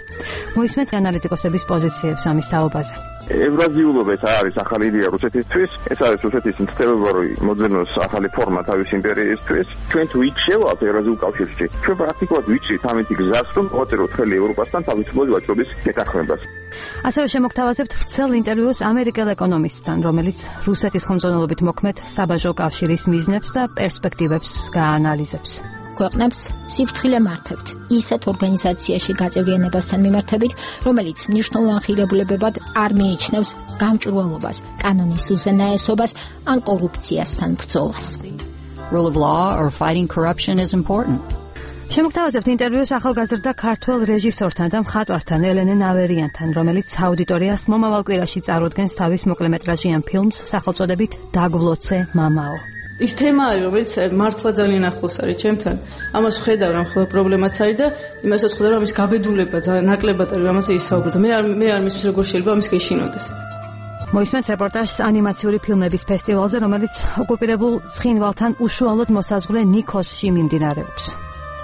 მოისმენთ ანალიტიკოსების პოზიციებს ამის თაობაზე. ევრაზიულობა ეს არის ახალი იდეა რუსეთისთვის, ეს არის რუსეთის მცდელობრივი მოძებნოს ახალი ფორმა თავის იმპერიისთვის. ჩვენ თუ იქ შევალთ ევრაზიულ კავშირში, ჩვენ პრაქტიკულად ვიჭრით ამით გზას, რომ მოვაწეროთ ხელი ევროპასთან თავისუფლების ვაჭრობის გეთანხმებას. ასევე შემოგთავაზებთ ვრცელ ინტერვიუს ამერიკელ ეკონომისტთან, რომელიც რუსეთის ხელმძღვანელობით მოქმედ საბაჟო კავშირის მიზნებს და პერსპექტივებს გაანალიზებს. ქვეყნებს სიფრთხილე მართებთ ისეთ ორგანიზაციაში გაწევრიანებასთან მიმართებით, რომელიც მნიშვნელოვან ღირებულებებად არ მიიჩნევს გამჭვირვალობას, კანონის უზენაესობას ან კორუფციასთან ბრძოლას. Rule of law or fighting corruption is important. შემოგთავაზებთ ინტერვიუს ახალგაზრდა ქართველ რეჟისორთან და მხატვართან ელენე ნავერიანთან, რომელიც აუდიტორიას მომავალ კვირაში წარუდგენს თავის მოკლემეტრაჟიან ფილმს სახელწოდებით დაგვლოცე მამაო. ის თემა არის, რომელიც მართლა ძალიან ახლოს არის ჩემთან. ამას ვხედავ, რომ ხოლმე პრობლემაც არის და იმასაც ვხედავ, რომ ის გაბედულება ძალიან ნაკლებად არის, ამაზე ისაუბრა და მე არ მე არ მისმის როგორ შეიძლება ამის გეშინოდეს. მოისმენთ რეპორტაჟს ანიმაციური ფილმების ფესტივალზე, რომელიც ოკუპირებულ ცხინვალთან უშუალოდ მოსაზღვრე ნიქოსში მიმდინარეობს.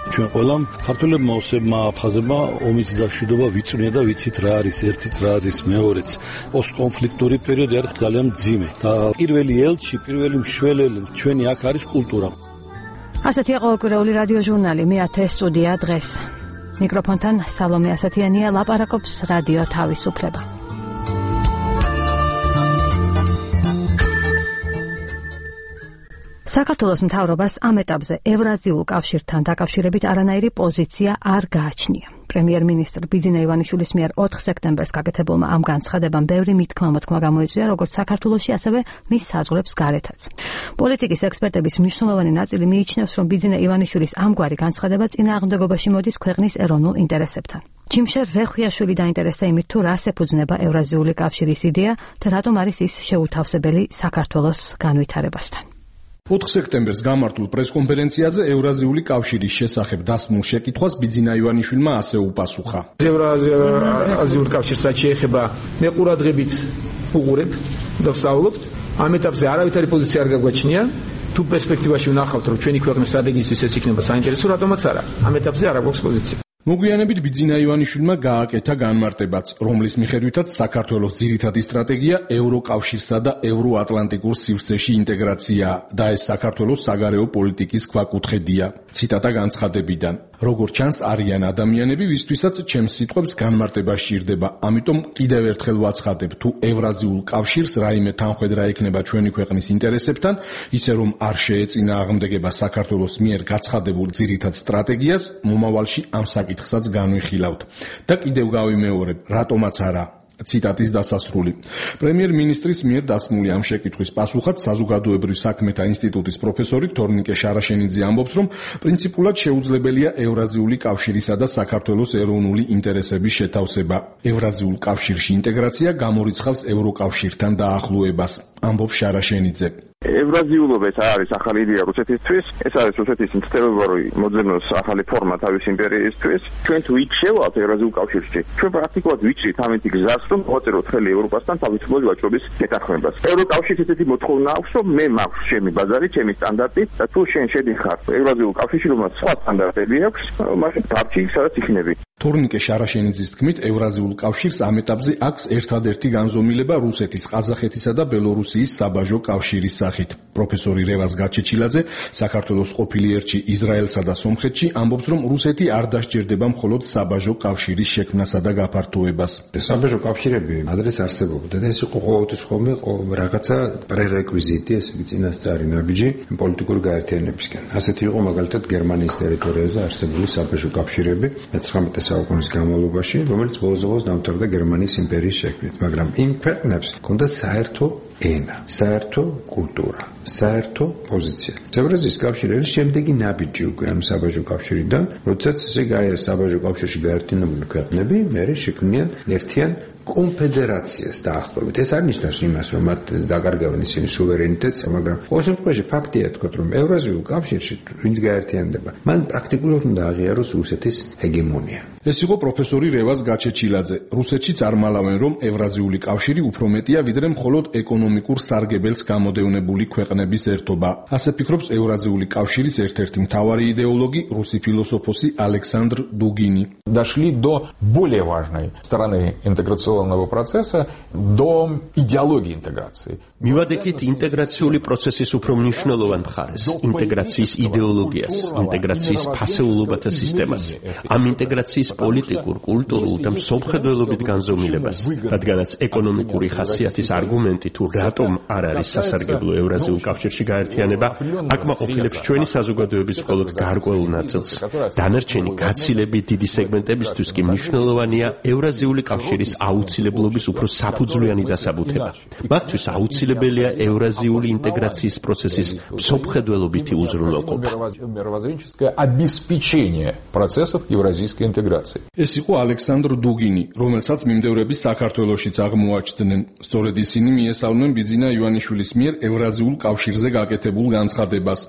ჩვენ ყველამ ქართველებმა ოსებმა აფხაზებმა ომის დაშვიდობა ვიწვნია და ვიცით რა არის ერთიც რა არის მეორეც. პოსტკონფლიქტური პერიოდი არის ძალიან მძიმე და პირველი ელჩი, პირველი მშველელი ჩვენი აქ არის კულტურა. ასეთია ყოველკვირეული რადიო ჟურნალი მეათე სტუდია დღეს. მიკროფონთან სალომე ასათიანია, ლაპარაკობს რადიო თავისუფლება. საქართველოს მთავრობას ამ ეტაპზე ევრაზიულ კავშირთან დაკავშირებით არანაირი პოზიცია არ გააჩნია. პრემიერ-მინისტრ ბიძინა ივანიშვილის მიერ ოთხ სექტემბერს გაკეთებულმა ამ განცხადებამ ბევრი მithქმა-მოთქმა გამოიწვია, როგორც საქართველოში, ასევე მის საზღვრებს გარეთაც. პოლიტიკის ექსპერტების მნიშვნელოვანი ნაწილი მიიჩნევს, რომ ბიძინა ივანიშვილის ამგვარი განცხადება წინააღმდეგობაში მოდის ქვეყნის ეროვნულ ინტერესებთან. ჯიმშერ რეხვიაშვილი დაინტერესდა იმით, თუ რას ეფუძნება ევრაზიული კავშირის იდეა და რატომ არის ის შეუთავსებელი საქართველოს განვითარებასთან. ოთხ სექტემბერს გამართულ პრესკონფერენციაზე ევრაზიული კავშირის შესახებ დასმულ შეკითხვას ბიძინა ივანიშვილმა ასე უპასუხა. ევრაზიული კავშირს შეეხება მე ყურადღებით უყურებ და ვსაუბრობთ. ამ ეტაპზე არავითარი პოზიცია არ გაგვაჩნია. თუ პერსპექტივაში ვნახავთ, რომ ჩვენი ქვეყნის სტრატეგიისთვის ეს იქნება საინტერესო, რატომაც არა. ამ ეტაპზე არ აქვს პოზიცია. მოგვიანებით ბიძინა ივანიშვილმა გააკეთა განმარტებაც, რომლის მიხედვითაც საქართველოს ძირითადი სტრატეგია ევროკავშირსა და ევროატლანტიკურ სივრცეში ინტეგრაცია და ეს საქართველოს საგარეო პოლიტიკის ქვაკუთხედია. ციტატა განცხადებიდან. როგორც ჩანს, არიან ადამიანები, ვისთვისაც ჩემს სიტყვებს განმარტება სჭირდება. ამიტომ კიდევ ერთხელ ვაცხადებ, თუ ევრაზიულ კავშირს რაიმე თანხმედრა ექნება ჩვენი ქვეყნის ინტერესებთან, ისე რომ არ შეეწინააღმდეგება საქართველოს მიერ გაცხადებულ ძირითად სტრატეგიას, მომავალში ამ საკითხსაც განვიხილავთ. და კიდევ გავიმეორებ, რატომაც არა. ციტატის დასასრული. პრემიერ-მინისტრის მიერ დასმული ამ შეკითხვის პასუხად საზოგადოებრივ საქმეთა ინსტიტუტის პროფესორი თორნიკე შარაშენიძე ამბობს, რომ პრინციპულად შეუძლებელია ევრაზიული კავშირისა და საქართველოს ეროვნული ინტერესების შეთავსება. ევრაზიულ კავშირში ინტეგრაცია გამორიცხავს ევროკავშირთან დაახლოებას, ამბობს შარაშენიძე. ევრაზიულობა ეს არის ახალი იდეა რუსეთისთვის, ეს არის რუსეთის მცდელობრივი მოძებნოს ახალი ფორმა თავის იმპერიისთვის. ჩვენ თუ იქ შევალთ ევრაზიულ კავშირში, ჩვენ პრაქტიკულად ვიჭრით ამით გზას, რომ მოვაწეროთ ხელი ევროპასთან თავისუფლების ვაჭრობის გეთანხმებას. ევროკავშირს ესეთი მოთხოვნა აქვს, რომ მე მაქვს ჩემი ბაზარი, ჩემი სტანდარტი და თუ შენ შედიხარ ევრაზიულ კავშირში, რომელსაც სხვა სტანდარტები აქვს, მაშინ დარჩი სადაც იქნები. თორნიკე შარაშენიძის თქმით, ევრაზიულ კავშირს ამ ეტაპზე აქვს ერთადერთი განზომილება რუსეთის, ყაზახეთისა და ბელორუსიის საბაჟო კავშირის სახით. პროფესორი რევაზ გაჩეჩილაძე, საქართველოს ყოფილი ერთში ისრაელსა და სომხეთში, ამბობს, რომ რუსეთი არ დასჭირდება მხოლოდ საბაჟო კავშირის შექმნასა და გაფართოებას. საბაჟო კავშირები ადრეს არსებობდა და ეს იყო ყოველთვის ხოლმე რაღაცა პრერეკვიზიტი, ესე იგი წინასწარი ნაბიჯი პოლიტიკური გაერთიანებისკენ. ასეთი იყო მაგალითად გერმანიის ტერიტორიაზე არსებული საბაჟო კავშირები მეცხრამეტე საუკუნის განმავლობაში, რომელიც ბოლოს-ბოლოს დამთავრდა გერმანიის იმპერიის შექმნით, მაგრამ იმ ქვეყნებს ჰქონდათ საერთო ენა, საერთო კულტურა, საერთო პოზიცია. ევრაზიის კავშირი არის შემდეგი ნაბიჯი უკვე ამ საბაჟო კავშირიდან, როდესაც ესე გაია საბაჟო კავშირში გაერთიანებული ქვეყნები, მერე შექმნიან ერთიან კონფედერაციას დაახლოებით. ეს არ ნიშნავს იმას, რომ მათ დაკარგავენ ისინი სუვერენიტეტს, მაგრამ ყოველ შემთხვევაში ფაქტია თქვა, რომ ევრაზიულ კავშირში ვინც გაერთიანდება, მან პრაქტიკულად უნდა აღიაროს რუსეთის ჰეგემონია. ეს იყო პროფესორი რევაზ გაჩეჩილაძე. რუსეთში წარმალავენ, რომ ევრაზიული კავშირი უფრო მეტია, ვიდრე მხოლოდ ეკონომიკურ სარგებელს გამოდევნებული ქვეყნების ერთობა. ასე ფიქრობს ევრაზიული კავშირის ერთ-ერთი მთავარი იდეოლოგი, რუსი ფილოსოფოსი ალექსანდრ დუგინი. Дошли до более важной стороны интеграционного процесса, до идеологии интеграции. მივადექით ინტეგრაციული პროცესის უფრო მნიშვნელოვან მხარეს, ინტეგრაციის იდეოლოგიას, ინტეგრაციის ფასეულობათა სისტემას, ამ ინტეგრაციის პოლიტიკურ, კულტურულ და მსოფლმხედველობით განზომილებას, რადგანაც ეკონომიკური ხასიათის არგუმენტი თუ რატომ არ არის სასარგებლო ევრაზიულ კავშირში გაერთიანება, აკმაყოფილებს ჩვენი საზოგადოების მხოლოდ გარკვეულ ნაწილს. დანარჩენი გაცილებით დიდი სეგმენტებისთვის კი მნიშვნელოვანია ევრაზიული კავშირის აუცილებლობის უფრო საფუძვლიანი დასაბუთება. მათთვის აუცილებელია ევრაზიული ინტეგრაციის პროცესის მსოფლმხედველობითი უზრუნველყოფა. ეს იყო ალექსანდრ დუგინი, რომელსაც მიმდევრები საქართველოშიც აღმოაჩნდნენ. სწორედ ისინი მიესალმნენ ბიძინა ივანიშვილის მიერ ევრაზიულ კავშირზე გაკეთებულ განცხადებას.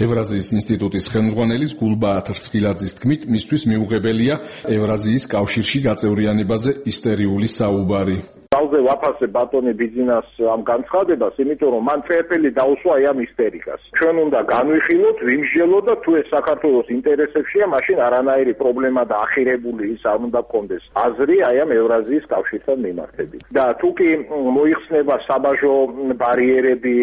ევრაზიის ინსტიტუტის ხელმძღვანელის გულბაათ რცხილაძის თქმით, მისთვის მიუღებელია ევრაზიის კავშირში გაწევრიანებაზე ისტერიული საუბარი. Ძალზე ვაფასე ბატონი ბიძინას ამ განცხადებას, იმიტომ რომ მან წერტილი დაუსვა აი ამ ისტერიკას. ჩვენ უნდა განვიხილოთ, ვიმსჯელოთ და თუ ეს საქართველოს ინტერესებშია, მაშინ არანაირი პრობლემა და ახირებული ის არ უნდა გქონდეს აზრი აი ამ ევრაზიის კავშირთან მიმართებით. და თუ კი მოიხსნება საბაჟო ბარიერები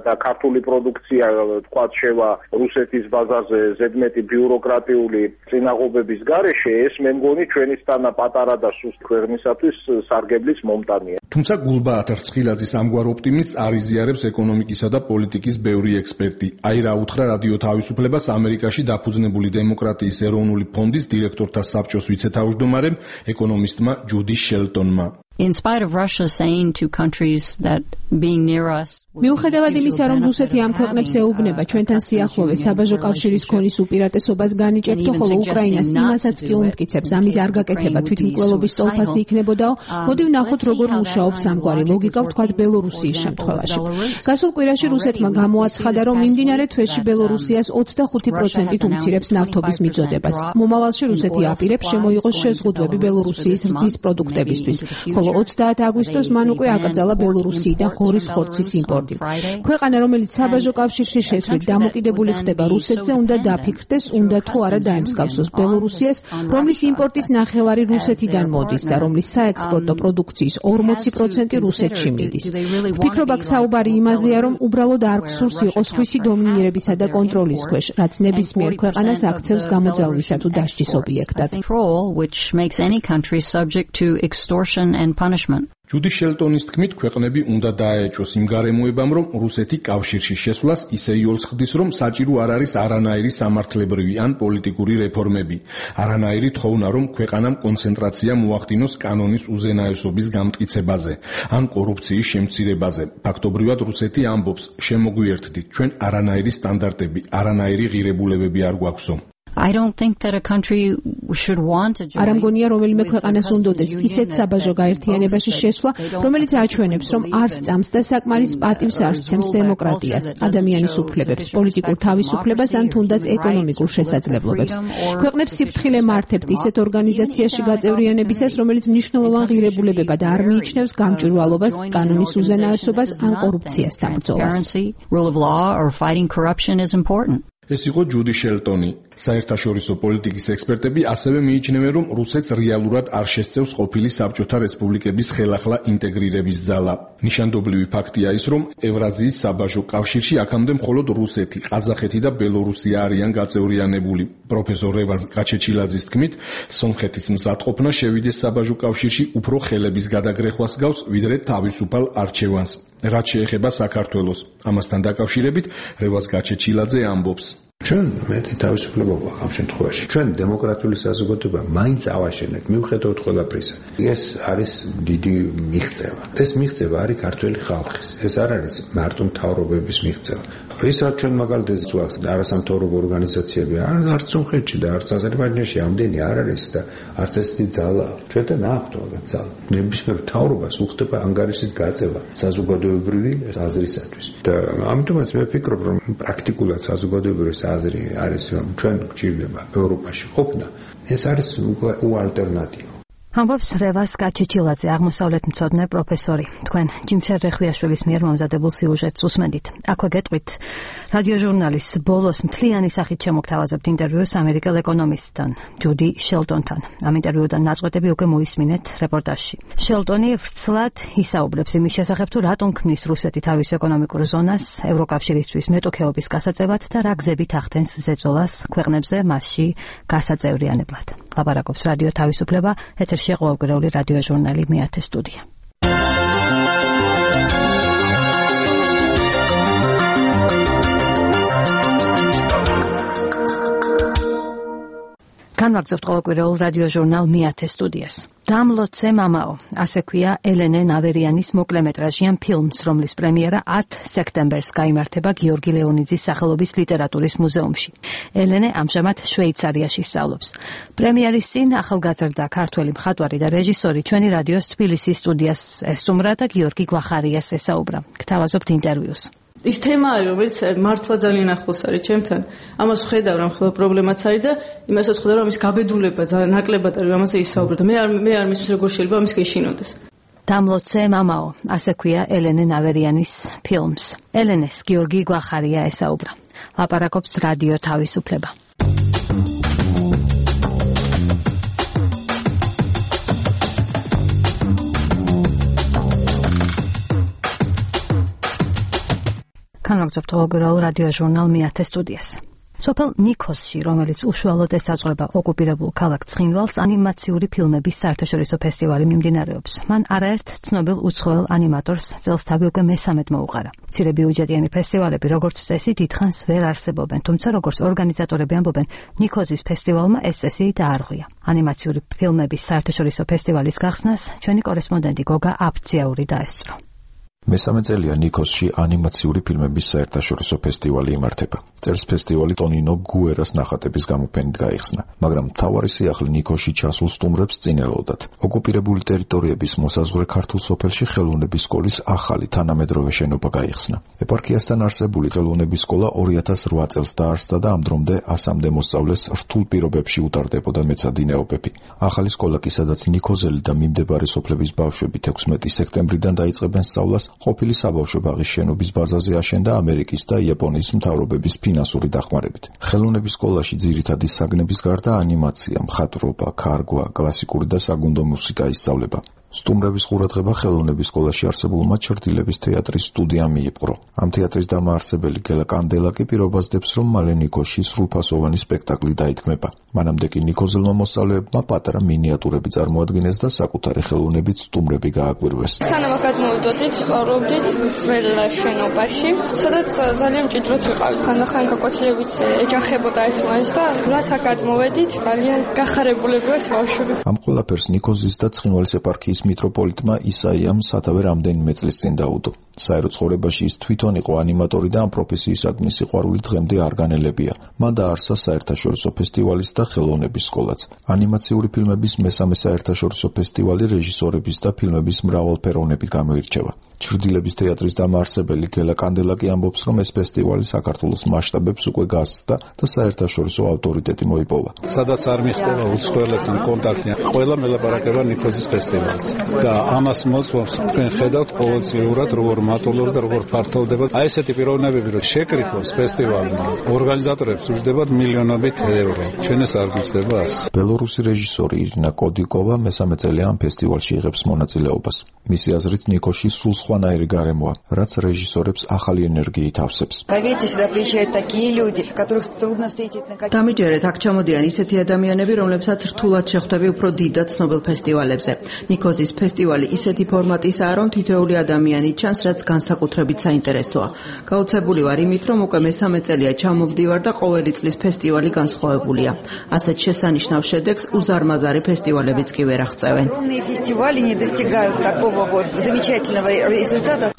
და ქართული პროდუქცია თქვათ შევა რუსეთის ბაზარზე ზედმეტი ბიუროკრატიული წინაღობების გარეშე, ეს მე მგონი ჩვენისთანა პატარა და სუსტ ქვეყნისათვის სარგებლის მომ თუმცა გულბაათ რცხილაძის ამგვარ ოპტიმიზმს არ იზიარებს ეკონომიკისა და პოლიტიკის ბევრი ექსპერტი. აი რა უთხრა რადიო თავისუფლებას ამერიკაში დაფუძნებული დემოკრატიის ეროვნული ფონდის დირექტორთა საბჭოს ვიცე-თავმჯდომარემ ეკონომისტმა ჯუდი შელტონმა. In spite of Russia saying to countries that being near us მიუხედავად იმისა, რომ რუსეთი ამ ქვეყნებს ეუბნება ჩვენთან სიახლოვე საბაჟო კავშირის ქონის უპირატესობას განიჭებთო, ხოლო უკრაინას იმასაც კი უმტკიცებს, ამის არ გაკეთება თვითმკვლელობის სტოლფასი იქნებოდაო, მოდი ვნახოთ როგორ მუშაობს ამგვარი ლოგიკა, ვთქვათ ბელორუსიის შემთხვევაში. გასულ კვირაში რუსეთმა გამოაცხადა, რომ მიმდინარე თვეში ბელორუსიას ოცდახუთი პროცენტით უმცირებს ნავთობის მიწოდებას. მომავალში რუსეთი აპირებს შემოიღოს შეზღუდვები ბელორუსიის რძის პროდუქტებისთვის, ხოლო ოცდაათი აგვისტოს მან უკვე აკრძალა ბელორუსიიდან ღორის ხორცის იმპორტი. ქვეყანა, რომელიც საბაჟო კავშირში შესვლით დამოკიდებული ხდება რუსეთზე, უნდა დაფიქრდეს, უნდა თუ არა დაემსგავსოს ბელორუსიას, რომლის იმპორტის ნახევარი რუსეთიდან მოდის და რომლის საექსპორტო პროდუქციის ორმოცი პროცენტი რუსეთში მიდის. ვფიქრობ, აქ საუბარი იმაზეა, რომ უბრალოდ არ გსურს იყოს ხვისი დომინირებისა და კონტროლის ქვეშ, რაც ნებისმიერ ქვეყანას აქცევს გამოძალვისა თუ დასჯის ობიექტად. and punishment. ჯუდი შელტონის თქმით, ქვეყნები უნდა დაეჭვოს იმ გარემოებამ, რომ რუსეთი კავშირში შესვლას ისე იოლს ხდის, რომ საჭირო არ არის არანაირი სამართლებრივი ან პოლიტიკური რეფორმები. არანაირი თხოვნა, რომ ქვეყანამ კონცენტრაცია მოახდინოს კანონის უზენაესობის გამტკიცებაზე ან კორუფციის შემცირებაზე. ფაქტობრივად რუსეთი ამბობს, შემოგვიერთდით, ჩვენ არანაირი სტანდარტები, არანაირი ღირებულებები არ გვაქვსო. I don't think that a country should want to join. არ ამგონია რომელიმე ქვეყანას უნდოდეს ისეთ საბაჟო გაერთიანებაში შესვლა, რომელიც აჩვენებს, რომ არ სწამს და საკმარის პატივს არ სცემს დემოკრატიას, ადამიანის უფლებებს, პოლიტიკურ თავისუფლებას ან თუნდაც ეკონომიკურ შესაძლებლობებს. ქვეყნებს სიფრთხილე მართებთ ისეთ ორგანიზაციაში გაწევრიანებისას, რომელიც მნიშვნელოვან ღირებულებებად არ მიიჩნევს გამჭვირვალობას, კანონის უზენაესობას ან კორუფციასთან ბრძოლას. Rule of law or fighting corruption is important. ეს იყო ჯუდი შელტონი. საერთაშორისო პოლიტიკის ექსპერტები ასევე მიიჩნევენ, რომ რუსეთს რეალურად არ შესწევს ყოფილი საბჭოთა რესპუბლიკების ხელახლა ინტეგრირების ძალა. ნიშანდობლივი ფაქტია ის, რომ ევრაზიის საბაჟო კავშირში აქამდე მხოლოდ რუსეთი, ყაზახეთი და ბელორუსია არიან გაწევრიანებული. პროფესორ რევაზ გაჩეჩილაძის თქმით, სომხეთის მზადყოფნა შევიდეს საბაჟო კავშირში უფრო ხელების გადაგრეხვას გავს, ვიდრე თავისუფალ არჩევანს. რაც შეეხება საქართველოს, ამასთან დაკავშირებით რევაზ გაჩეჩილაძე ამბობს. ჩვენ მეტი თავისუფლება გვაქვს ამ შემთხვევაში. ჩვენ დემოკრატიული საზოგადოება მაინც ავაშენებთ, მიუხედავად ყველაფრისა. ეს არის დიდი მიღწევა. ეს მიღწევა არის ქართველი ხალხის. ეს არ არის მარტო მთავრობების მიღწევა. ის რაც ჩვენ მაგალითად ზღვას არასამთავრობო ორგანიზაციები არ არც სომხეთში და არც აზერბაიჯანში ამდენი არ არის და არც ესეთი ძალა ჩვენთან აქვთ მაგათ ძალა ნებისმიერ მთავრობას უხდება ანგარიშის გაწევა საზოგადოებრივი აზრისათვის და ამიტომაც მე ვფიქრობ რომ პრაქტიკულად საზოგადოებრივი აზრი არის რომ ჩვენ გვჭირდება ევროპაში ყოფნა ეს არის უალტერნატივა ამბობს რევას გაჩეჩილაძე აღმოსავლეთ მცოდნე პროფესორი თქვენ ჯიმშარ რეხვიაშვილის მიერ მომზადებულ სიუჟეტს უსმენდით აქვე გეტყვით რადიო ჟურნალის ბოლოს მთლიანი სახით შემოგთავაზებთ ინტერვიუს ამერიკელ ეკონომისტთან ჯუდი შელტონთან ამ ინტერვიუდან ნაწყვეტები უკვე მოისმინეთ რეპორტაჟში შელტონი ვრცლად ისაუბრებს იმის შესახებ თუ რატომ ქმნის რუსეთი თავის ეკონომიკურ ზონას ევროკავშირისთვის მეტოქეობის გასაწევად და რა გზებით ახდენს ზეწოლას ქვეყნებზე მასში გასაწევრიანებლად ლაპარაკობს რადიო თავისუფლება ეთერში ყოველკვირეული რადიო ჟურნალი მეათე სტუდია განვაგრძობთ ყოველკვირეულ რადიო ჟურნალ მეათე სტუდიას დამლოცე მამაო ასე ქვია ელენე ნავერიანის მოკლემეტრაჟიან ფილმს რომლის პრემიერა ათ სექტემბერს გაიმართება გიორგი ლეონიძის სახელობის ლიტერატურის მუზეუმში ელენე ამჟამად შვეიცარიაში სწავლობს პრემიერის წინ ახალგაზრდა ქართველი მხატვარი და რეჟისორი ჩვენი რადიოს თბილისის სტუდიას ესტუმრა და გიორგი გვახარიას ესაუბრა გთავაზობთ ინტერვიუს ის თემა არის, რომელიც მართლა ძალიან ახლოს არის ჩემთან. ამას ვხედავ, რომ ხოლმე პრობლემაც არის და იმასაც ვხედავ, რომ ის გაბედულება ძალიან ნაკლებად არის, ამაზე ისაუბრა და მე არ მე არ მისმის როგორ შეიძლება ამის გეშინოდეს. დამლოცე მამაო, ასე ქვია ელენე ნავერიანის ფილმს. ელენეს გიორგი გვახარია ესაუბრა. ლაპარაკობს რადიო თავისუფლება. განვაგრძობთ ყოველკვირეულ რადიო ჟურნალ მეათე სტუდიას. სოფელ ნიქოზში, რომელიც უშუალოდ ესაზღვრება ოკუპირებულ ქალაქ ცხინვალს, ანიმაციური ფილმების საერთაშორისო ფესტივალი მიმდინარეობს. მან არაერთ ცნობილ უცხოელ ანიმატორს წელს თავი უკვე მესამედ მოუყარა. მცირე ბიუჯეტიანი ფესტივალები, როგორც წესი, დიდხანს ვერ არსებობენ, თუმცა როგორც ორგანიზატორები ამბობენ, ნიქოზის ფესტივალმა ეს წესი დაარღვია. ანიმაციური ფილმების საერთაშორისო ფესტივალის გახსნას ჩვენი კორესპონდენტი გოგა აფციაური დაესწრო. მესამე წელია ნიქოზში ანიმაციური ფილმების საერთაშორისო ფესტივალი იმართება. წელს ფესტივალი ტონინო გუერას ნახატების გამოფენით გაიხსნა, მაგრამ მთავარი სიახლე ნიქოზში ჩასულ სტუმრებს წინელოდათ. ოკუპირებული ტერიტორიების მოსაზღვრე ქართულ სოფელში ხელოვნების სკოლის ახალი თანამედროვე შენობა გაიხსნა. ეპარქიასთან არსებული ხელოვნების სკოლა ორი ათას რვა წელს დაარსდა და ამ დრომდე ასამდე მოსწავლეს რთულ პირობებში უტარდებოდა მეცადინეობები. ახალი სკოლა კი, სადაც ნიქოზელი და მიმდებარე სოფლების ბავშვები თექვსმეტი სექტემბრიდან დაიწყებენ სწავლას, ყოფილი საბავშვო ბაღის შენობის ბაზაზე აშენდა ამერიკის და იაპონიის მთავრობების ფინანსური დახმარებით. ხელოვნების სკოლაში ძირითადი საგნების გარდა ანიმაცია, მხატვრობა, ქარგვა, კლასიკური და საგუნდო მუსიკა ისწავლება. სტუმრების ყურადღება ხელოვნების სკოლაში არსებულმა ჩრდილების თეატრის სტუდიამ მიიპყრო. ამ თეატრის დამაარსებელი გელა კანდელა კი პირობას დებს, რომ მალე ნიქოზში სრულფასოვანი სპექტაკლი დაითქმება. მანამდე კი ნიქოზელმა მოსწავლეებმა პატარა მინიატურები წარმოადგინეს და საკუთარი ხელოვნებით სტუმრები გააკვირვეს. სანამ გადმოვიდოდით, სწავლობდით ძველ შენობაში, სადაც ძალიან მჭიდროდ ვიყავით, ხანდახან გაკვეთილებით ეჯახებოდა ერთმანეთს და რაც აქ გადმოვედით, ძალიან გახარებულები ვართ ბავშვები. ამ ყველაფერს ნიქოზის და ცხინვალის ეპარქიის მიტროპოლიტმა ისაიამ სათავე რამდენიმე წლის წინ დაუდო. საერო ცხოვრებაში ის თვითონ იყო ანიმატორი და ამ პროფესიისადმი სიყვარული დღემდე არ განელებია. მან დაარსა საერთაშორისო ფესტივალის და ხელოვნების სკოლაც. ანიმაციური ფილმების მესამე საერთაშორისო ფესტივალი რეჟისორების და ფილმების მრავალფეროვნებით გამოირჩევა. ჩრდილების თეატრის დამაარსებელი გელა კანდელა კი ამბობს, რომ ეს ფესტივალი საქართველოს მასშტაბებს უკვე გასცდა და საერთაშორისო ავტორიტეტი მოიპოვა. სადაც არ მიხდება უცხოელებთან კონტაქტი, ყველა მელაპარაკება ნიქოზის ფესტივალს და ამას მოწმობს თქვენ ხედავთ ყოველწლიურად როგორ მატულობს და როგორ ფართოვდება. აი ესეთი პიროვნებები რომ შეკრიფოს ფესტივალმა, ორგანიზატორებს უჯდებათ მილიონობით ევრო. ჩვენ ეს არ გვიჭდება ასე. ბელორუსი რეჟისორი ირინა კოდიკოვა მესამე წელია ამ ფესტივალში იღებს მონაწილეობას. მისი აზრით ნიქოზში სულ სხვანაირი გარემოა, რაც რეჟისორებს ახალი ენერგიით ავსებს. დამიჯერეთ, აქ ჩამოდიან ისეთი ადამიანები, რომლებსაც რთულად შეხვდები უფრო დიდად ცნობილ ფესტივალებზე. ნიქოზის ფესტივალი ისეთი ფორმატისაა, რომ თითოეული ადამიანი ჩანს, რაც სადაც განსაკუთრებით საინტერესოა. გაოცებული ვარ იმით, რომ უკვე მესამე წელია ჩამოვდივარ და ყოველი წლის ფესტივალი განსხვავებულია. ასეთ შესანიშნავ შედეგს უზარმაზარი ფესტივალებიც კი ვერ აღწევენ.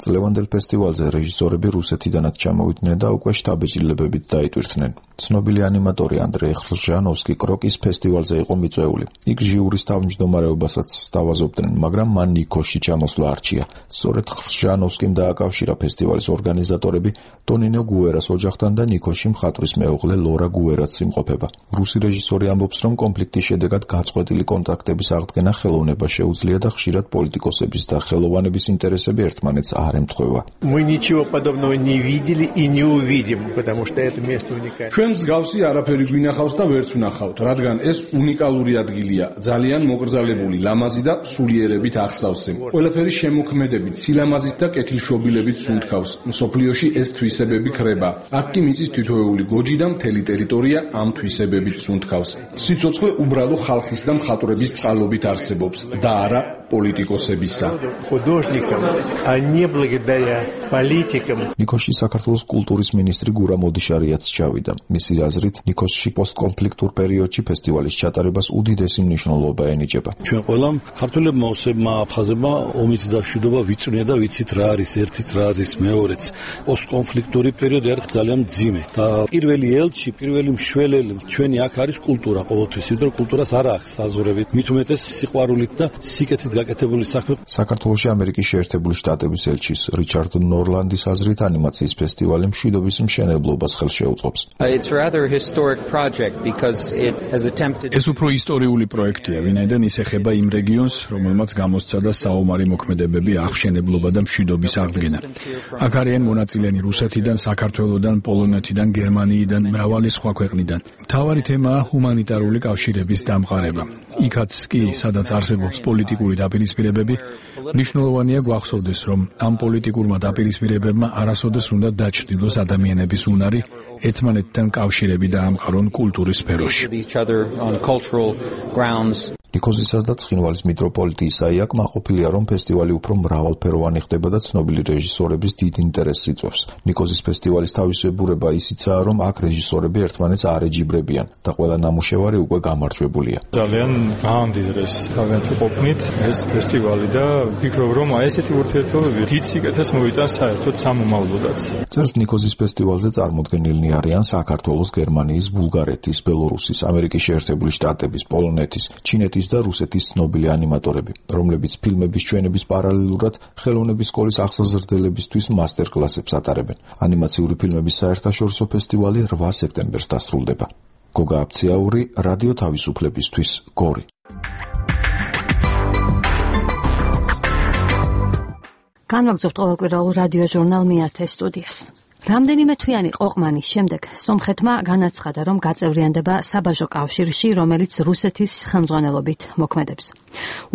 წლევანდელ ფესტივალზე რეჟისორები რუსეთიდანაც ჩამოვიდნენ და უკვე შტაბეჭდილებებით დაიტვირთნენ. ცნობილი ანიმატორი ანდრეი ხრჟანოვსკი კროკის ფესტივალზე იყო მიწვეული. იქ ჟიურის თავმჯდომარეობასაც სთავაზობდნენ, მაგრამ მან ნიკოში ჩამოსვლა არჩია. სწორედ ხრჟანოვსკიმ დააკავშირა ფესტივალის ორგანიზატორები ტონინო გუერას ოჯახთან და ნიკოში მხატვრის მეუღლე ლორა გუერაც იმყოფება. რუსი რეჟისორი ამბობს, რომ კონფლიქტის შედეგად გაწყვეტილი კონტაქტების აღდგენა ხელოვნება შეუძლია და ხშირად პოლიტიკოსების და ხელოვანების ინტერესები ერთმანეთს არ ემთხვევა. Мы ничего подобного не видели и не увидим, потому что это место уникальное. ჩვენ მსგავსი არაფერი გვინახავს და ვერც ვნახავთ, რადგან ეს უნიკალური ადგილია, ძალიან მოკრძალებული, ლამაზი და სულიერებით ახსავსე. ყველაფერი შემოქმედებით, სილამაზით და კეთილშობილებით სუნთქავს. მსოფლიოში ეს თვისებები ქრება. აქ კი მიწის თითოეული გოჯი და მთელი ტერიტორია ამ თვისებებით სუნთქავს. სიცოცხლე უბრალო ხალხის და მხატვრების წყალობით არსებობს და არა პოლიტიკოსებისა. Художникам, а не благодаря политикам. ნიკოში საქართველოს კულტურის მინისტრი გურამ ოდიშარიაც ჩავიდა. მისი აზრით, ნიკოსში პოსტკონფლიქტურ პერიოდში ფესტივალის ჩატარებას უდიდესი მნიშვნელობა ენიჭება. ჩვენ ყველამ ქართველებმა ოსებმა აფხაზებმა ომით და მშვიდობა ვიწვნია და ვიცით რა არის ერთიც, რა არის მეორეც. პოსტკონფლიქტური პერიოდი არის ძალიან მძიმე და პირველი ელჩი, პირველი მშველელი ჩვენი აქ არის კულტურა ყოველთვის, იმიტომ რომ კულტურას არ აქვს საზღვრები, მით უმეტეს სიყვარულით და სიკეთით გაკეთებული საქმე. საქართველოში ამერიკის შეერთებული შტატების ელჩის რიჩარდ ნორლანდის აზრით ანიმაციის ფესტივალი მშვიდობის მშენებლობას ხელს შეუწყობს. It's rather a historic project because it has attempted ეს უფრო ისტორიული პროექტია, ვინაიდან ის ეხება იმ რეგიონს, რომელმაც გამოსცადა საომარი მოქმედებები, აღშენებლობა და მშვიდობის აღდგენა. აქ არიან მონაწილენი რუსეთიდან, საქართველოსდან, პოლონეთიდან, გერმანიიდან, მრავალი სხვა ქვეყნიდან. მთავარი თემაა ჰუმანიტარული კავშირების დამყარება. იქაც კი, სადაც არსებობს პოლიტიკური დაპირისპირებები, მნიშვნელოვანია გვახსოვდეს, რომ ამ პოლიტიკურმა დაპირისპირებებმა არასოდეს უნდა დაჩრდილოს ადამიანების უნარი ერთმანეთთან კავშირები და ამყარონ კულტურის სფეროში. ნიკოზისას და ცხინვალის მიტროპოლიტი ისაია კმაყოფილია, რომ ფესტივალი უფრო მრავალფეროვანი ხდება და ცნობილი რეჟისორების დიდ ინტერესს იწვევს. ნიკოზის ფესტივალის თავისებურება ისიცაა, რომ აქ რეჟისორები ერთმანეთს არ ეჯიბრებიან და ყველა ნამუშევარი უკვე გამარჯვებულია. ძალიან გაამდიდრეს თავიანთი ყოფნით ეს ფესტივალი და ვფიქრობ, რომ აი ესეთი ურთიერთობები დიდ სიკეთეს მოვიტანს საერთოდ სამომავლოდაც. წერს ნიკოზის ფესტივალზე წარმოდგენილნი არიან საქართველოს, გერმანიის, ბულგარეთის, ბელორუსის, ამერიკის შეერთებული შტატების, პოლონეთის, ჩინეთის და რუსეთის ცნობილი ანიმატორები, რომლებიც ფილმების ჩვენების პარალელურად ხელოვნების სკოლის ახსოვსრდელებისთვის მასტერ-კლასებს ატარებენ. ანიმაციური ფილმების საერთაშორისო ფესტივალი რვა სექტემბერს დასრულდება. გოგა აფციაური, რადიო თავისუფლებისთვის, გორი. განვაგრძობთ ყოველკვირეულ რადიო ჟურნალ მეათე სტუდიას. რამდენიმე თვიანი ყოყმანის შემდეგ სომხეთმა განაცხადა, რომ გაწევრიანდება საბაჟო კავშირში, რომელიც რუსეთის ხელმძღვანელობით მოქმედებს.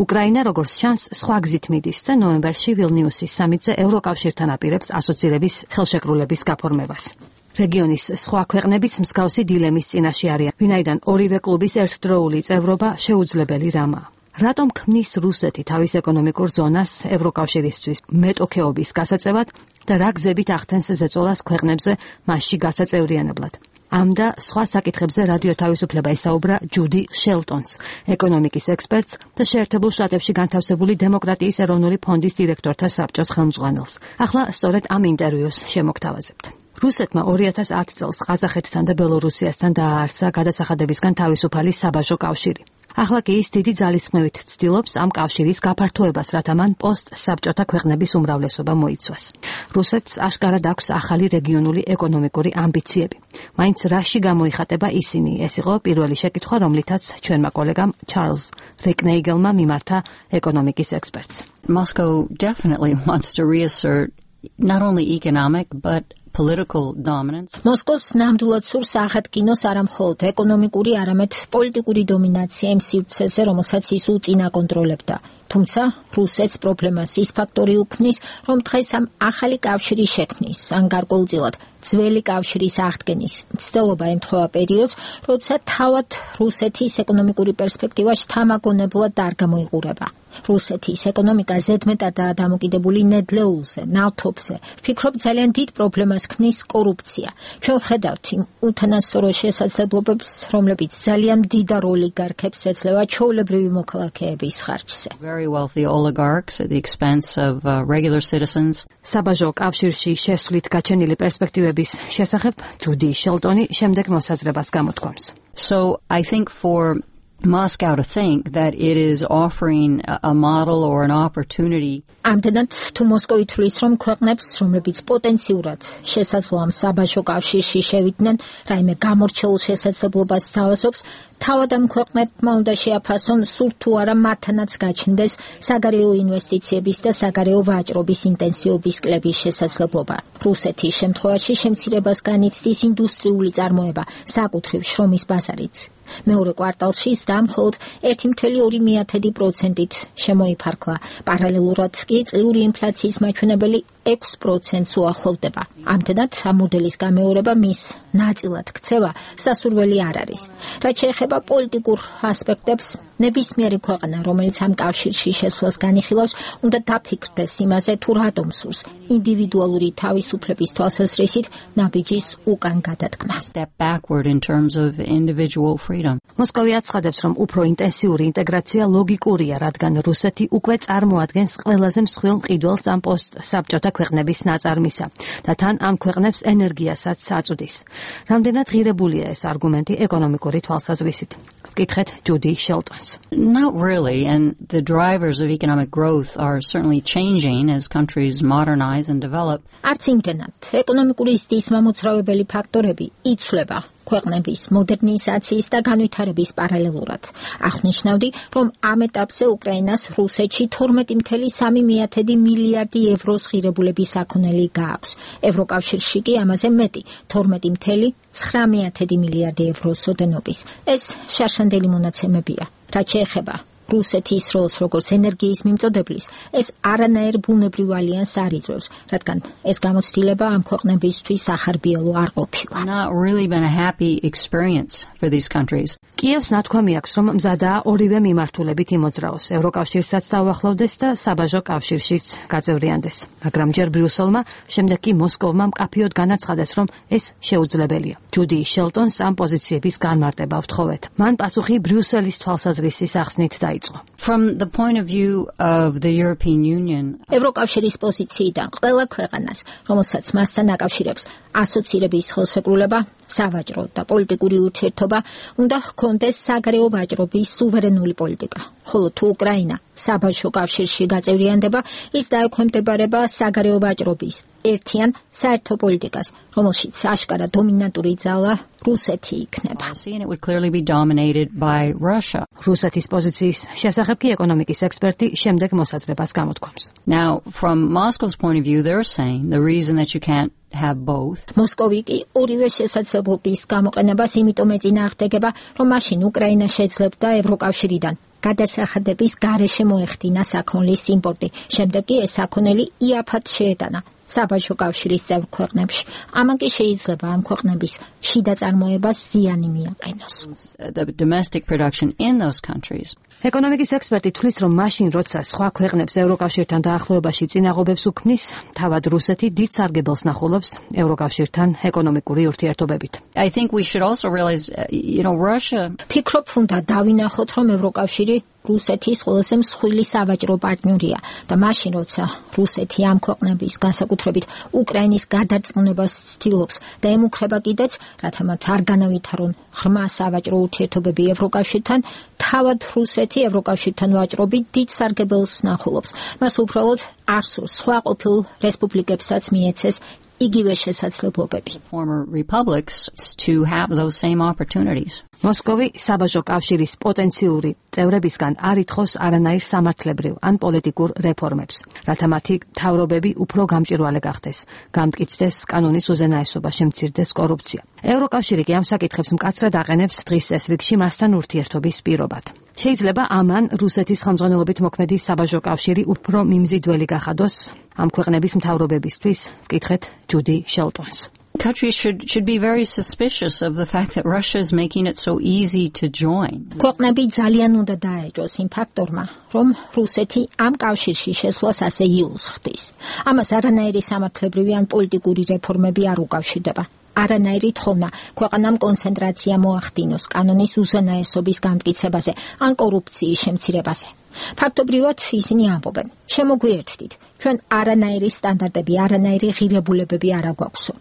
უკრაინა, როგორც ჩანს, სხვა გზით მიდის და ნოემბერში ვილნიუსის სამიტზე ევროკავშირთან აპირებს ასოცირების ხელშეკრულების გაფორმებას. რეგიონის სხვა ქვეყნებიც მსგავსი დილემის წინაშე არიან, ვინაიდან ორივე კლუბის ერთდროული წევრობა შეუძლებელი რამაა. რატომ ქმნის რუსეთი თავის ეკონომიკურ ზონას ევროკავშირისთვის მეტოქეობის გასაწევად და რა გზებით ახდენს ზეწოლას ქვეყნებზე მასში გასაწევრიანებლად? ამ და სხვა საკითხებზე რადიო თავისუფლება ისაუბრა ჯუდი შელტონს, ეკონომიკის ექსპერტს და შეერთებულ შტატებში განთავსებული დემოკრატიის ეროვნული ფონდის დირექტორთა საბჭოს ხელმძღვანელს. ახლა სწორედ ამ ინტერვიუს შემოგთავაზებთ. რუსეთმა ორი ათას ათი წელს ყაზახეთთან და ბელორუსიასთან დააარსა გადასახადებისგან თავისუფალი საბაჟო კავშირი. ახლა კი ის დიდი ძალისხმევით ცდილობს ამ კავშირის გაფართოებას, რათა მან პოსტ-საბჭოთა ქვეყნების უმრავლესობა მოიცვას. რუსეთს აშკარად აქვს ახალი რეგიონული ეკონომიკური ამბიციები. მაინც რაში გამოიხატება ისინი? ეს იყო პირველი შეკითხვა, რომლითაც ჩვენმა კოლეგამ ჩარლზ რეკნეიგელმა მიმართა ეკონომიკის ექსპერტს. Moscow definitely wants to reassert not only economic but political dominance. მოსკოვს ნამდვილად სურს აღადგინოს არა მხოლოდ ეკონომიკური, არამედ პოლიტიკური დომინაცია იმ სივრცეზე, რომელსაც ის უწინა კონტროლებდა. თუმცა რუსეთს პრობლემას ის ფაქტორი უქმნის, რომ დღეს ამ ახალი კავშირის შექმნის, ან გარკვეულწილად ძველი კავშირის აღდგენის მცდელობა ემთხვევა პერიოდს, როცა თავად რუსეთის ეკონომიკური პერსპექტივა შთამაგონებლად არ გამოიყურება. რუსეთის ეკონომიკა ზედმეტადაა დამოკიდებული ნედლეულზე, ნავთობზე. ვფიქრობ, ძალიან დიდ პრობლემას ქმნის კორუფცია. ჩვენ ვხედავთ იმ უთანასწორო შესაძლებლობებს, რომლებიც ძალიან დიდ ოლიგარქებს ეძლევა ჩვეულებრივი მოქალაქეების ხარჯზე. Very wealthy oligarchs at the expense of uh, regular citizens. საბაჟო კავშირში შესვლით გაჩენილი პერსპექტივების შესახებ ჯუდი შელტონი შემდეგ მოსაზრებას გამოთქვამს. So I think for Moscow to think that it is offering a model or an opportunity. ამდენად თუ მოსკოვი თვლის, რომ ქვეყნებს, რომლებიც პოტენციურად შესაძლოა საბაჟო კავშირში შევიდნენ, რაიმე გამორჩეულ შესაძლებლობას თავაზობს, თავად ამ ქვეყნებმა უნდა შეაფასონ სულ თუ არა მათთანაც გაჩნდეს საგარეო ინვესტიციების და საგარეო ვაჭრობის ინტენსივობის კლების შესაძლებლობა. რუსეთის შემთხვევაში შემცირებას განიცდის ინდუსტრიული წარმოება, საკუთრივ შრომის ბაზარიც. მეორე კვარტალში ის დამხოლოდ ერთი კoma ორი პროცენტით შემოიფარგლა. პარალელურად კი წლიური ინფლაციის მაჩვენებელი ექვს პროცენტს უახლოვდება. ამდენად ამ მოდელის გამეორება მის ნაწილად ქცევა სასურველი არ არის. რაც შეეხება პოლიტიკურ ასპექტებს, ნებისმიერი ქვეყანა, რომელიც ამ კავშირში შესვლას განიხილავს, უნდა დაფიქრდეს იმაზე, თუ რატომ სურს ინდივიდუალური თავისუფლების თვალსაზრისით ნაბიჯის უკან გადადგმა. Step backward in terms of individual freedom. მოსკოვი აცხადებს, რომ უფრო ინტენსიური ინტეგრაცია ლოგიკურია, რადგან რუსეთი უკვე წარმოადგენს ყველაზე მსხვილ მყიდველს ამ პოსტსაბჭოთა ქვეყნების ნაწარმისა და თან ამ ქვეყნებს ენერგიასაც აწვდის. რამდენად ღირებულია ეს არგუმენტი ეკონომიკური თვალსაზრისით? ვკითხეთ ჯუდი შელტონს. Not really, and the drivers of economic growth are certainly changing as countries modernize and develop. არც იმდენად ეკონომიკური ზრდის მომოწრავებელი ფაქტორები იცვლება ქვეყნების მოდერნიზაციის და განვითარების პარალელურად. აღნიშნავდი, რომ ამ ეტაპზე უკრაინას რუსეთში თორმეტი კoma სამი მილიარდი ევროს ღირებულების საქონელი გააქვს. ევროკავშირში კი ამაზე მეტი, თორმეტი კoma ცხრამეტი მილიარდი ევროს ოდენობის. ეს შარშანდელი მონაცემებია. რაც შეეხება რუსეთის როლს როგორც ენერგიის მიმწოდებლის, ეს არანაირ ბუნებრივ ალიანსს არ იძლევს, რადგან ეს გამოცდილება ამ ქვეყნებისთვის ახარბიელო არ ყოფილა. Not really been a happy experience for these countries. კიევს ნათქვამი აქვს, რომ მზადაა ორივე მიმართულებით იმოძრაოს, ევროკავშირსაც დაუახლოვდეს და საბაჟო კავშირშიც გაწევრიანდეს. მაგრამ ჯერ ბრიუსელმა, შემდეგ კი მოსკოვმა მკაფიოდ განაცხადეს, რომ ეს შეუძლებელია. ჯუდი შელტონს ამ პოზიციების განმარტება ვთხოვეთ. მან პასუხი ბრიუსელის თვალსაზრისის ახსნით დაიწყო. From the point of view of the European Union, ევროკავშირის პოზიციიდან ყველა ქვეყანას, რომელსაც მასთან აკავშირებს ასოცირების ხელშეკრულება, სავაჭრო და პოლიტიკური ურთიერთობა, უნდა ჰქონდეს საგარეო ვაჭრობის სუვერენული პოლიტიკა. ხოლო თუ უკრაინა საბაჟო კავშირში გაწევრიანდება, ის დაექვემდებარება საგარეო ვაჭრობის ერთიან საერთო პოლიტიკას, რომელშიც აშკარა დომინანტური ძალა რუსეთი იქნება. and it would clearly be dominated by Russia. რუსეთის პოზიციის შესახებ კი ეკონომიკის ექსპერტი შემდეგ მოსაზრებას გამოთქვამს. Now, from Moscow's point of view, they're saying the reason that you can't have both. მოსკოვი კი ორივე შესაძლებლობის გამოყენებას იმიტომ ეწინააღმდეგება, რომ მაშინ უკრაინა შეძლებდა ევროკავშირიდან გადასახადების გარეშე მოეხდინა საქონლის იმპორტი. შემდეგ კი ეს საქონელი იაფად შეეტანა საბაჟო კავშირის წევრ ქვეყნებში. ამან კი შეიძლება ამ ქვეყნების შიდა წარმოებას ზიანი მიაყენოს. The domestic production in those countries. ეკონომიკის ექსპერტი თვლის, რომ მაშინ, როცა სხვა ქვეყნებს ევროკავშირთან დაახლოებაში წინაღობებს უქმნის, თავად რუსეთი დიდ სარგებელს ნახულობს ევროკავშირთან ეკონომიკური ურთიერთობებით. I think we should also realize, uh, you know, Russia. ფიქრობ, უნდა დავინახოთ, რომ ევროკავშირი რუსეთის ყველაზე მსხვილი სავაჭრო პარტნიორია და მაშინ, როცა რუსეთი ამ ქვეყნების განსაკუთრებით უკრაინის გადარწმუნებას ცდილობს და ემუქრება კიდეც, რათა მათ არ განავითარონ ღრმა სავაჭრო ურთიერთობები ევროკავშირთან, თავად რუსეთი ევროკავშირთან ვაჭრობით დიდ სარგებელს ნახულობს. მას უბრალოდ არ სურს სხვა ყოფილ რესპუბლიკებსაც მიეცეს იგივე შესაძლებლობები. Former republics to have those same opportunities. მოსკოვი საბაჟო კავშირის პოტენციური წევრებისგან არ ითხოვს არანაირ სამართლებრივ ან პოლიტიკურ რეფორმებს, რათა მათი მთავრობები უფრო გამჭვირვალე გახდეს, გამტკიცდეს კანონის უზენაესობა, შემცირდეს კორუფცია. ევროკავშირი კი ამ საკითხებს მკაცრად აყენებს დღის წესრიგში მასთან ურთიერთობის პირობად. შეიძლება ამან რუსეთის ხელმძღვანელობით მოქმედი საბაჟო კავშირი უფრო მიმზიდველი გახადოს ამ ქვეყნების მთავრობებისთვის, ვკითხეთ ჯუდი შელტონს. Countries should should be very suspicious of the fact that Russia is making it so easy to join. ქვეყნები ძალიან უნდა დაეჯოს იმ ფაქტორმა, რომ რუსეთი ამ კავშირში შესვლას ასე იულს ხდის. ამას არანაირი სამართლებრივი ან პოლიტიკური რეფორმები არ უკავშირდება. არანაირი თხოვნა ქვეყანამ კონცენტრაცია მოახდინოს კანონის უზენაესობის გამტკიცებაზე ან კორუფციის შემცირებაზე. ფაქტობრივად ისინი ამბობენ, შემოგვიერთდით, ჩვენ არანაირი სტანდარტები, არანაირი ღირებულებები არ აგვაქვსო.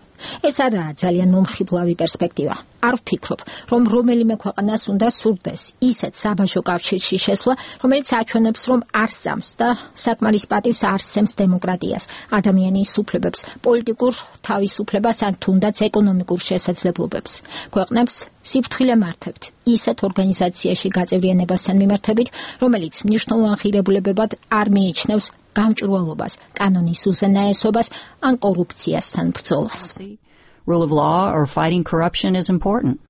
ეს არაა ძალიან მომხიბლავი პერსპექტივა. არ ვფიქრობ, რომ რომელიმე ქვეყანას უნდა სურდეს ისეთ საბაჟო კავშირში შესვლა, რომელიც აჩვენებს, რომ არ სწამს და საკმარის პატივს არ სცემს დემოკრატიას, ადამიანის უფლებებს, პოლიტიკურ თავისუფლებას ან თუნდაც ეკონომიკურ შესაძლებლობებს. ქვეყნებს სიფრთხილე მართებთ ისეთ ორგანიზაციაში გაწევრიანებასთან მიმართებით, რომელიც მნიშვნელოვან ღირებულებებად არ მიიჩნევს გამჭვირვალობას, კანონის უზენაესობას ან კორუფციასთან ბრძოლას. Rule of law or fighting corruption is important.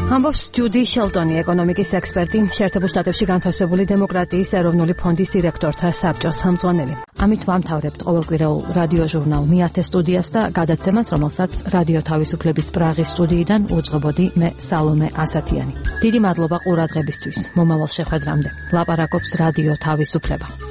ამბობს ჯუდი შელტონი, ეკონომიკის ექსპერტი, შეერთებულ შტატებში განთავსებული დემოკრატიის ეროვნული ფონდის დირექტორთა საბჭოს ხელმძღვანელი. ამით ვამთავრებთ ყოველკვირეულ რადიო ჟურნალ მეათე სტუდიას და გადაცემას, რომელსაც რადიო თავისუფლების პრაღის სტუდიიდან უძღვებოდი მე სალომე ასათიანი. დიდი მადლობა ყურადღებისთვის. მომავალ შეხვედრამდე. ლაპარაკობს რადიო თავისუფლება.